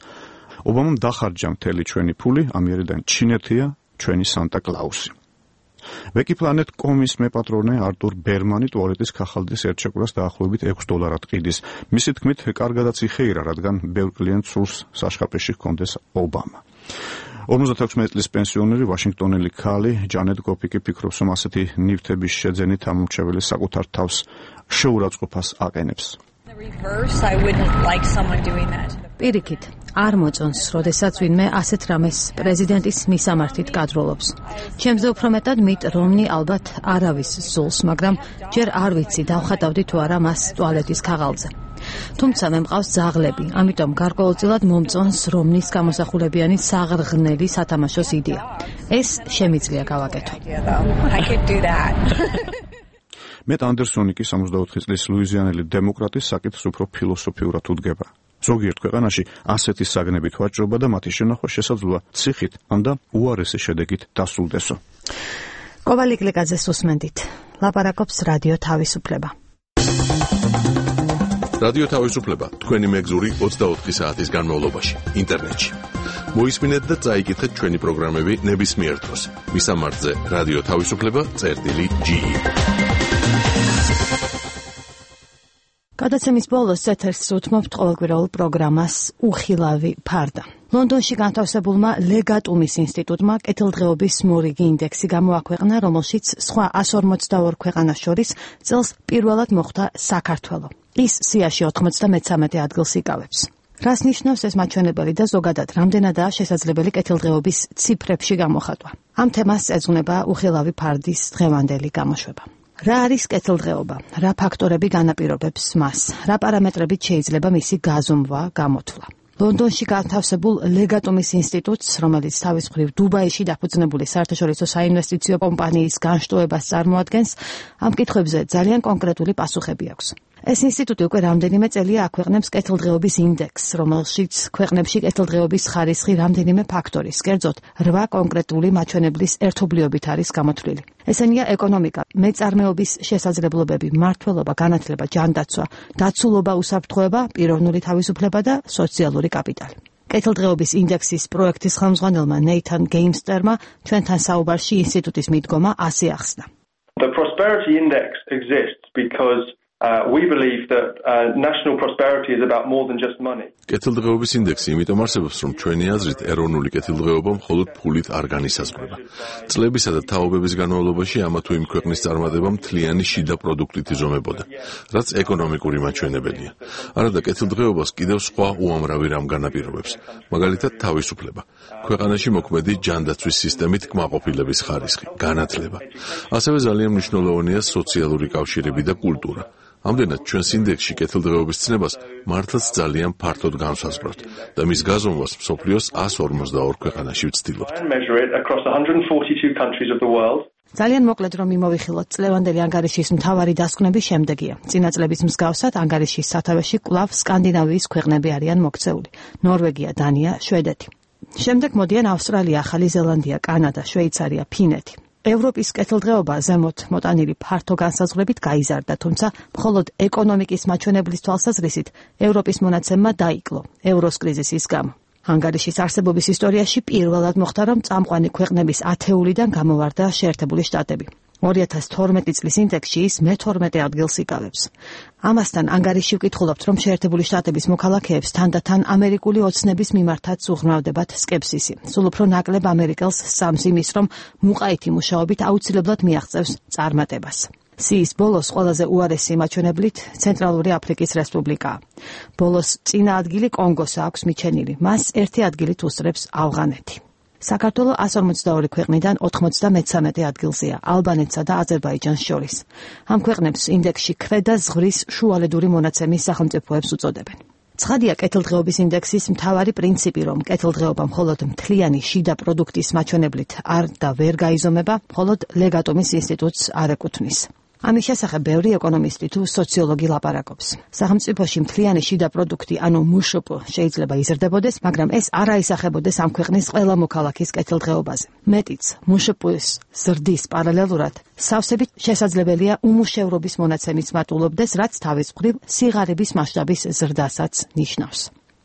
ობამამ დახარჯა მთელი ჩვენი ფული, ამიერიდან ჩინეთია ჩვენი სანტა კლაუსი. Wikiplanet.com-ის მეპატრონე არტურ ბერმანი ტუალეტის ქაღალდის ერთშეკვრას დაახლოებით $6 ყიდის. მისი თქმით, კარგადაც იხეირა, რადგან ბევრ კლიენტს სურს საშხაპეში ჰქონდეს ობამა. 56 წლის პენსიონერი ვაშინგტონელი ქალი ჯანეტ გოფიკი ფიქრობს, რომ ასეთი ნივთების შეძენით ამომრჩეველი საკუთარ თავს შეურაცხყოფას აყენებს. პირიქით, არ მოწონს, როდესაც ვინმე ასეთ რამეს პრეზიდენტის მისამართით გადროლობს. ჩემზე უფრო მეტად მიტ რომნი ალბათ არავის ზულს, მაგრამ ჯერ არ ვიცი დავხატავდი თუ არა მას ტუალეტის ქაღალდზე. თუმცა მე მყავს ძაღლები, ამიტომ გარკვეულწილად მომწონს რომნის გამოსახულებიანი საღრღნელი სათამაშოს იდეა. ეს შემიძლია გავაკეთო. მეტ ანდერსონი კი 64 წლის ლუიზიანელი დემოკრატი საკითხს უფრო ფილოსოფიურად უდგება. ზოგიერთ ქვეყანაში ასეთი საგნებით ვაჭრობა და მათი შენახვა შესაძლოა ციხით ანდა უარესი შედეგით დასრულდესო. კოვალიკ ლეკაძეს უსმენდით. ლაპარაკობს რადიო თავისუფლება. რადიო თავისუფლება თქვენი მეგზური 24 საათის განმავლობაში ინტერნეტში. მოისმინეთ და წაიკითხეთ ჩვენი პროგრამები ნებისმიერ დროს. მისამართზე რადიო თავისუფლება.ge. გადაცემის ბოლოს ეთერს უთმობთ ყოველკვირეულ პროგრამას უხილავი ფარდა. ლონდონში განთავსებულმა ლეგატუმის ინსტიტუტმა კეთილდღეობის მორიგი ინდექსი გამოაქვეყნა, რომელშიც სხვა 142 ქვეყანას შორის წელს პირველად მოხვდა საქართველო. ის სიაში 93 ადგილს იკავებს. რას ნიშნავს ეს მაჩვენებელი და ზოგადად რამდენადაა შესაძლებელი კეთილდღეობის ციფრებში გამოხატვა? ამ თემას ეძღვნება უხილავი ფარდის დღევანდელი გამოშვება. რა არის კეთილდღეობა? რა ფაქტორები განაპირობებს მას? რა პარამეტრებით შეიძლება მისი გაზომვა, გამოთვლა? ლონდონში განთავსებულ ლეგატუმის ინსტიტუტს, რომელიც თავის მხრივ დუბაიში დაფუძნებული საერთაშორისო საინვესტიციო კომპანიის განშტოებას წარმოადგენს, ამ კითხვებზე ძალიან კონკრეტული პასუხები აქვს. ეს ინსტიტუტი უკვე რამდენიმე წელია აქვეყნებს კეთილდღეობის ინდექსს, რომელშიც ქვეყნებში კეთილდღეობის ხარისხი რამდენიმე ფაქტორის, კერძოდ 8 კონკრეტული მაჩვენებლის ერთობლიობით არის გამოთვლილი. ესენია ეკონომიკა, მეწარმეობის შესაძლებლობები, მმართველობა, განათლება, ჯანდაცვა, დაცულობა, უსაფრთხოება, პიროვნული თავისუფლება და სოციალური კაპიტალი. კეთილდღეობის ინდექსის პროექტის ხელმძღვანელმა ნეითან გეიმსტერმა ჩვენთან საუბარში ინსტიტუტის მიდგომა ასე ახსნა. The prosperity index exists because we believe that national prosperity is about more than just money. კეთილდღეობის ინდექსი იმიტომ არსებობს, რომ ჩვენი აზრით ეროვნული კეთილდღეობა მხოლოდ ფულით არ განისაზღვრება. წლებისა და თაობების განმავლობაში ამა თუ იმ ქვეყნის წარმატება მთლიანი შიდა პროდუქტით იზომებოდა, რაც ეკონომიკური მაჩვენებელია. არადა კეთილდღეობას კიდევ სხვა უამრავი რამ განაპირობებს, მაგალითად თავისუფლება. ქვეყანაში მოქმედი ჯანდაცვის სისტემით კმაყოფილების ხარისხი, განათლება. ასევე ძალიან მნიშვნელოვანია სოციალური კავშირები და კულტურა. ამდენად ჩვენს ინდექსში კეთილდღეობის ცნებას მართლაც ძალიან ფართოდ განსაზღვროთ და მის გაზომვას მსოფლიოს 142 ქვეყანაში ვცდილობთ. ძალიან მოკლედ რომ მიმოვიხილოთ, წლევანდელი ანგარიშის მთავარი დასკვნები შემდეგია. წინა წლების მსგავსად ანგარიშის სათავეში კვლავ სკანდინავიის ქვეყნები არიან მოქცეული: ნორვეგია, დანია, შვედეთი. შემდეგ მოდიან ავსტრალია, ახალი ზელანდია, კანადა, შვეიცარია, ფინეთი. ევროპის კეთილდღეობა ზემოთ მოტანილი ფართო განსაზღვრებით გაიზარდა, თუმცა მხოლოდ ეკონომიკის მაჩვენებლის თვალსაზრისით ევროპის მონაცემმა დაიკლო ევროს კრიზისის გამო. ანგარიშის არსებობის ისტორიაში პირველად მოხდა, რომ წამყვანი ქვეყნების ათეულიდან გამოვარდა შეერთებული შტატები. 2012 წლის ინდექსში ის მე-12 ადგილს იკავებს. ამასთან ანგარიში ვკითხულობთ, რომ შეერთებული შტატების მოქალაქეებს თანდათან ამერიკული ოცნების მიმართაც უღრმავდებათ სკეპსისი. სულ უფრო ნაკლებ ამერიკელს სწამს იმის, რომ მუყაითი მუშაობით აუცილებლად მიაღწევს წარმატებას. სიის ბოლოს ყველაზე უარესი მაჩვენებლით ცენტრალური აფრიკის რესპუბლიკაა. ბოლოს წინა ადგილი კონგოს აქვს მიჩენილი, მას ერთი ადგილით უსწრებს ავღანეთი. საქართველო 142 ქვეყნიდან 93 ადგილზეა, ალბანეთსა და აზერბაიჯანს შორის. ამ ქვეყნებს ინდექსში ქვედა ზღვის შუალედური მონაცემის სახელმწიფოებს უწოდებენ. ცხადია კეთილდღეობის ინდექსის მთავარი პრინციპი, რომ კეთილდღეობა მხოლოდ მთლიანი შიდა პროდუქტის მაჩვენებლით არ და ვერ გაიზომება, მხოლოდ ლეგატუმის ინსტიტუტს არ ეკუთვნის. ამის შესახებ ბევრი ეკონომისტი თუ სოციოლოგი ლაპარაკობს. სახელმწიფოში მთლიანი შიდა პროდუქტი, ანუ მშპ, შეიძლება იზრდებოდეს, მაგრამ ეს არ აისახებოდეს ამ ქვეყნის ყველა მოქალაქის კეთილდღეობაზე. მეტიც, მშპ-ის ზრდის პარალელურად სავსებით შესაძლებელია უმუშევრობის მონაცემიც მატულობდეს, რაც თავის მხრივ სიღარიბის მასშტაბის ზრდასაც ნიშნავს.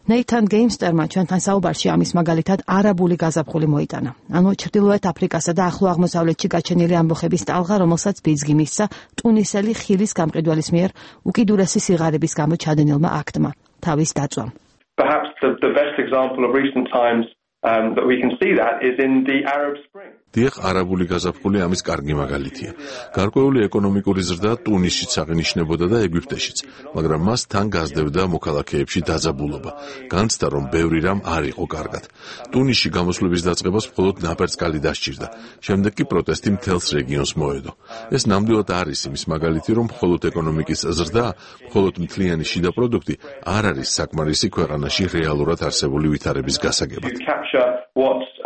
ნეითან გეიმსტერმა ჩვენთან საუბარში ამის მაგალითად არაბული გაზაფხული მოიტანა. ანუ ჩრდილოეთ აფრიკასა და ახლო აღმოსავლეთში გაჩენილი ამბოხების ტალღა, რომელსაც ბიძგი მისცა ტუნისელი ხილის გამყიდველის მიერ უკიდურესი სიღარიბის გამო ჩადენილმა აქტმა, თავის დაწვამ. Perhaps the best example of recent times that we can see that is in the Arab Spring. დიახ, არაბული გაზაფხული ამის კარგი მაგალითია. გარკვეული ეკონომიკური ზრდა ტუნისშიც აღინიშნებოდა და ეგვიპტეშიც, მაგრამ მას თან გასდევდა მოქალაქეებში დაძაბულობა. განცდა, რომ ბევრი რამ არ იყო კარგად. ტუნისში გამოსვლების დაწყებას მხოლოდ ნაპერწკალი დასჭირდა. შემდეგ კი პროტესტი მთელს რეგიონს მოედო. ეს ნამდვილად არის იმის მაგალითი, რომ მხოლოდ ეკონომიკის ზრდა, მხოლოდ მთლიანი შიდა პროდუქტი არ არის საკმარისი ქვეყანაში რეალურად არსებული ვითარების გასაგებად.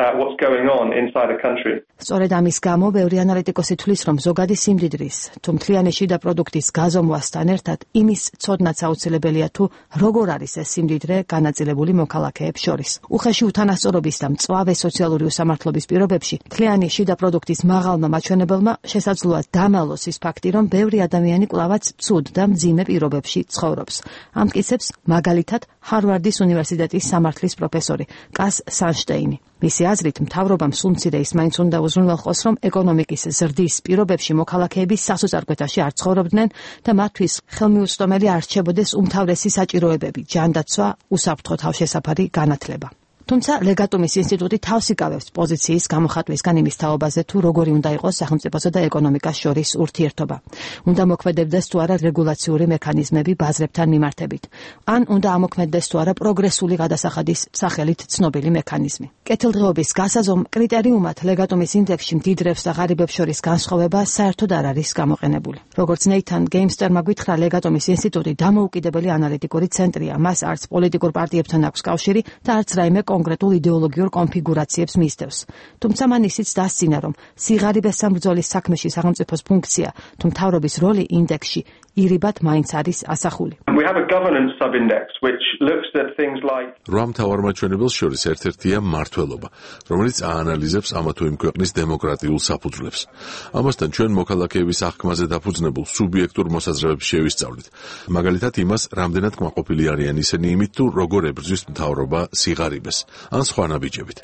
What's going on inside a country. სწორედ ამის გამო ბევრი ანალიტიკოსი თვლის, რომ ზოგადი სიმდიდრის თუ მთლიანი შიდა პროდუქტის გაზომვასთან ერთად იმის ცოდნაც აუცილებელია თუ როგორ არის ეს სიმდიდრე განაწილებული მოქალაქეებს შორის. უხეში უთანასწორობის და მწვავე სოციალური უსამართლობის პირობებში მთლიანი შიდა პროდუქტის მაღალმა მაჩვენებელმა შესაძლოა დამალოს ის ფაქტი, რომ ბევრი ადამიანი კვლავაც ცუდ და მძიმე პირობებში ცხოვრობს. ამტკიცებს მაგალითად ჰარვარდის უნივერსიტეტის სამართლის პროფესორი კას სანშტეინი. მისი აზრით, მთავრობამ სულ მცირე ის მაინც უნდა უზრუნველყოს, რომ ეკონომიკის ზრდის პირობებში მოქალაქეები სასოწარკვეთაში არ ცხოვრობდნენ და მათთვის ხელმიუწვდომელი არ რჩებოდეს უმთავრესი საჭიროებები, ჯანდაცვა, უსაფრთხო თავშესაფარი, განათლება. თუმცა ლეგატუმის ინსტიტუტი თავს იკავებს პოზიციის გამოხატვისგან იმის თაობაზე, თუ როგორი უნდა იყოს სახელმწიფოსა და ეკონომიკას შორის ურთიერთობა. უნდა მოქმედებდეს თუ არა რეგულაციური მექანიზმები ბაზრებთან მიმართებით, ან უნდა ამოქმედდეს თუ არა პროგრესული გადასახადის სახელით ცნობილი მექანიზმი. კეთილდღეობის გასაზომ კრიტერიუმად ლეგატუმის ინდექსში მდიდრებს და ღარიბებს შორის განსხვავება საერთოდ არ არის გამოყენებული. როგორც ნეითან გეიმსტერმა გითხრა, ლეგატუმის ინსტიტუტი დამოუკიდებელი ანალიტიკური ცენტრია, მას არც პოლიტიკურ პარტიებთან აქვს კავშირი და არც რაიმე კონკრეტულ იდეოლოგიურ კონფიგურაციებს მისდევს. თუმცა მან ისიც დასცინა, რომ სიღარიბესთან ბრძოლის საქმეში სახელმწიფოს ფუნქცია თუ მთავრობის როლი ინდექსში ირიბად მაინც არის ასახული. We have a governance sub-index which looks at things like რამ თავარმაჩვენებელს შორის ერთ-ერთია მმართველობა, რომელიც აანალიზებს ამა თუ იმ ქვეყნის დემოკრატიულ საფუძვლებს. ამასთან ჩვენ მოქალაქეების აღქმაზე დაფუძნებულ სუბიექტურ მოსაზრებებს შევისწავლით. მაგალითად იმას, რამდენად კმაყოფილი არიან ისინი იმით, თუ როგორ ებრძვის მთავრობა სიღარიბეს, ან სხვა ნაბიჯებით.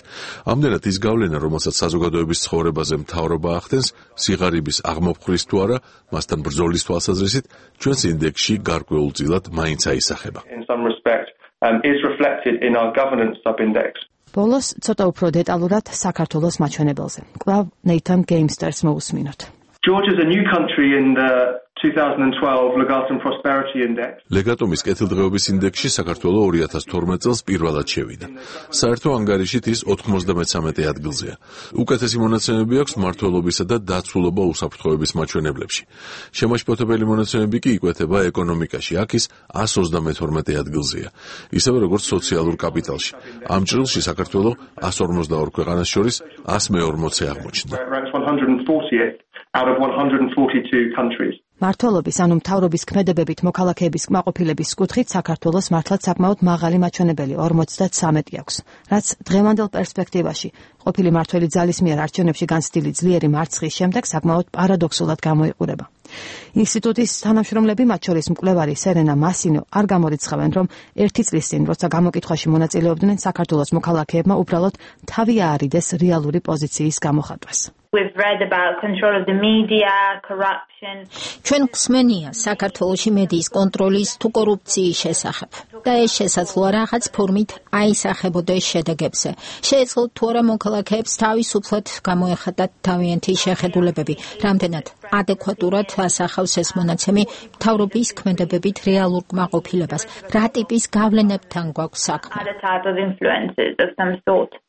ამდენად ის გავლენა, რომელსაც საზოგადოების ცხოვრებაზე მთავრობა ახდენს, სიღარიბის აღმოფხვრის თუ არა, მასთან ბრძოლის თვალსაზრისით, ჩვენს ინდექსში გარკვეულწილად მაინც აისახება. in some respect is reflected in our governance sub-index. ბოლოს ცოტა უფრო დეტალურად საქართველოს მაჩვენებელზე. კვლავ ნეითან გეიმსტერს მოусმინოთ. Georgia is a new country in the 2012 Legatum Prosperity Index. ლეგატუმის კეთილდღეობის ინდექსში საქართველო 2012 წელს პირველად შევიდა. საერთო ანგარიშით ის 93 ადგილზეა. უკეთესი მონაცემები აქვს მმართველობისა და დაცულობა უსაფრთხოების მაჩვენებლებში. შემაშფოთებელი მონაცემები კი იკვეთება ეკონომიკაში. აქ ის 132 ადგილზეა. ისევე როგორც სოციალურ კაპიტალში. ამ ჭრილში საქართველო 152 ქვეყანას შორის 140-ე აღმოჩნდა. Out of 142 countries. მმართველობის ანუ მთავრობის ქმედებებით მოქალაქეების კმაყოფილების კუთხით საქართველოს მართლაც საკმაოდ მაღალი მაჩვენებელი 53 აქვს, რაც დღევანდელ პერსპექტივაში ყოფილი მმართველი ძალის მიერ არჩევნებში განცდილი ძლიერი მარცხის შემდეგ საკმაოდ პარადოქსულად გამოიყურება. ინსტიტუტის თანამშრომლები, მათ შორის მკვლევარი სერენა მასინო, არ გამორიცხავენ, რომ ერთი წლის წინ, როცა გამოკითხვაში მონაწილეობდნენ, საქართველოს მოქალაქეებმა უბრალოდ თავი აარიდეს რეალური პოზიციის გამოხატვას. We've read about control of the media, corruption. ჩვენ გვსმენია საქართველოში მედიის კონტროლის თუ კორუფციის შესახებ. და ეს შესაძლოა რაღაც ფორმით აისახებოდეს შედეგებზე. შეეძლოთ თუ არა მოქალაქეებს თავისუფლად გამოეხატათ თავიანთი შეხედულებები, რამდენად ადეკვატურად ასახავს ეს მონაცემი მთავრობის ქმედებებით რეალურ კმაყოფილებას, რა ტიპის გავლენებთან გვაქვს საქმე.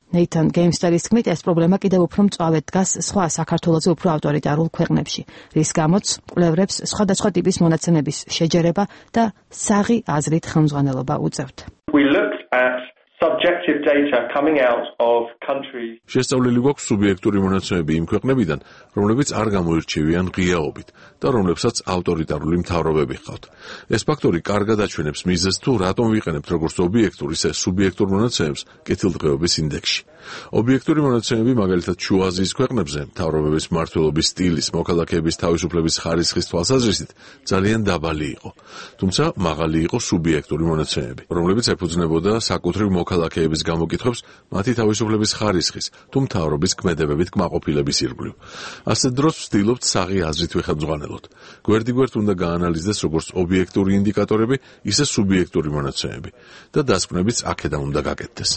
ნეითან გეიმსტერის თქმით, ეს პრობლემა კიდევ უფრო მწვავედ დგას სხვა საქართველოზე უფრო ავტორიტარულ ქვეყნებში, რის გამოც კვლევრებს სხვადასხვა ტიპის მონაცემების შეჯერება და საღი აზრით ხელმძღვანელობა უწევთ. We looked at subjective data coming out of countries. შესწავლილი გვაქვს სუბიექტური მონაცემები იმ ქვეყნებიდან, რომლებიც არ გამოირჩევიან ღიაობით და რომლებსაც ავტორიტარული მთავრობები ჰყავთ. ეს ფაქტორი კარგად აჩვენებს მიზეზს, თუ რატომ ვიყენებთ როგორც ობიექტურ, ისე სუბიექტურ მონაცემებს კეთილდღეობის ინდექსში. ობიექტური მონაცემები, მაგალითად შუა აზიის ქვეყნებზე, მთავრობების მმართველობის სტილის, მოქალაქეების თავისუფლების ხარისხის თვალსაზრისით ძალიან დაბალი იყო. თუმცა მაღალი იყო სუბიექტური მონაცემები, რომლებიც ეფუძნებოდა საკუთრივ მოქალაქეების გამოკითხვებს მათი თავისუფლების ხარისხის თუ მთავრობის ქმედებებით კმაყოფილების ირგვლივ. ასეთ დროს ვცდილობთ საღი აზრით ვიხელმძღვანელოთ. გვერდიგვერდ უნდა გაანალიზდეს როგორც ობიექტური ინდიკატორები, ისე სუბიექტური მონაცემები და დასკვნებიც აქედან უნდა გაკეთდეს.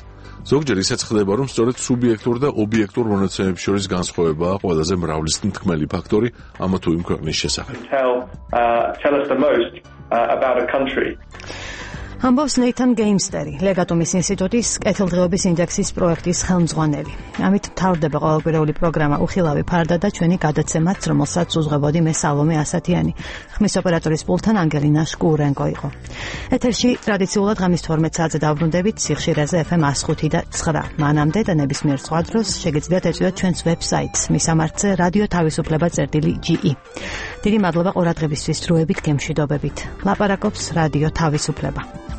ზოგჯერ ისაც ხდება, რომ სწორედ სუბიექტურ და ობიექტურ მონაცემებს შორის განსხვავებაა ყველაზე მრავლისმთქმელი ფაქტორი ამა თუ იმ ქვეყნის შესახებ. Tell us the most about a country. ამბობს ნეითან გეიმსტერი, ლეგატუმის ინსტიტუტის კეთილდღეობის ინდექსის პროექტის ხელმძღვანელი. ამით მთავრდება ყოველკვირეული პროგრამა უხილავი ფარდა და ჩვენი გადაცემაც, რომელსაც უძღვებოდი მე სალომე ასათიანი. ხმის ოპერატორის პულტთან ანგელინა შკურენკო იყო. ეთერში ტრადიციულად ღამის 12 საათზე დავბრუნდებით სიხშირეზე FM 105 და 9. მანამდე და ნებისმიერ სხვა დროს შეგიძლიათ ეწვიოთ ჩვენს ვებსაიტს მისამართზე რადიო თავისუფლება.ge. დიდი მადლობა ყურადღებისთვის, დროებით გემშვიდობებით. ლაპარაკობს რადიო თავისუფლება.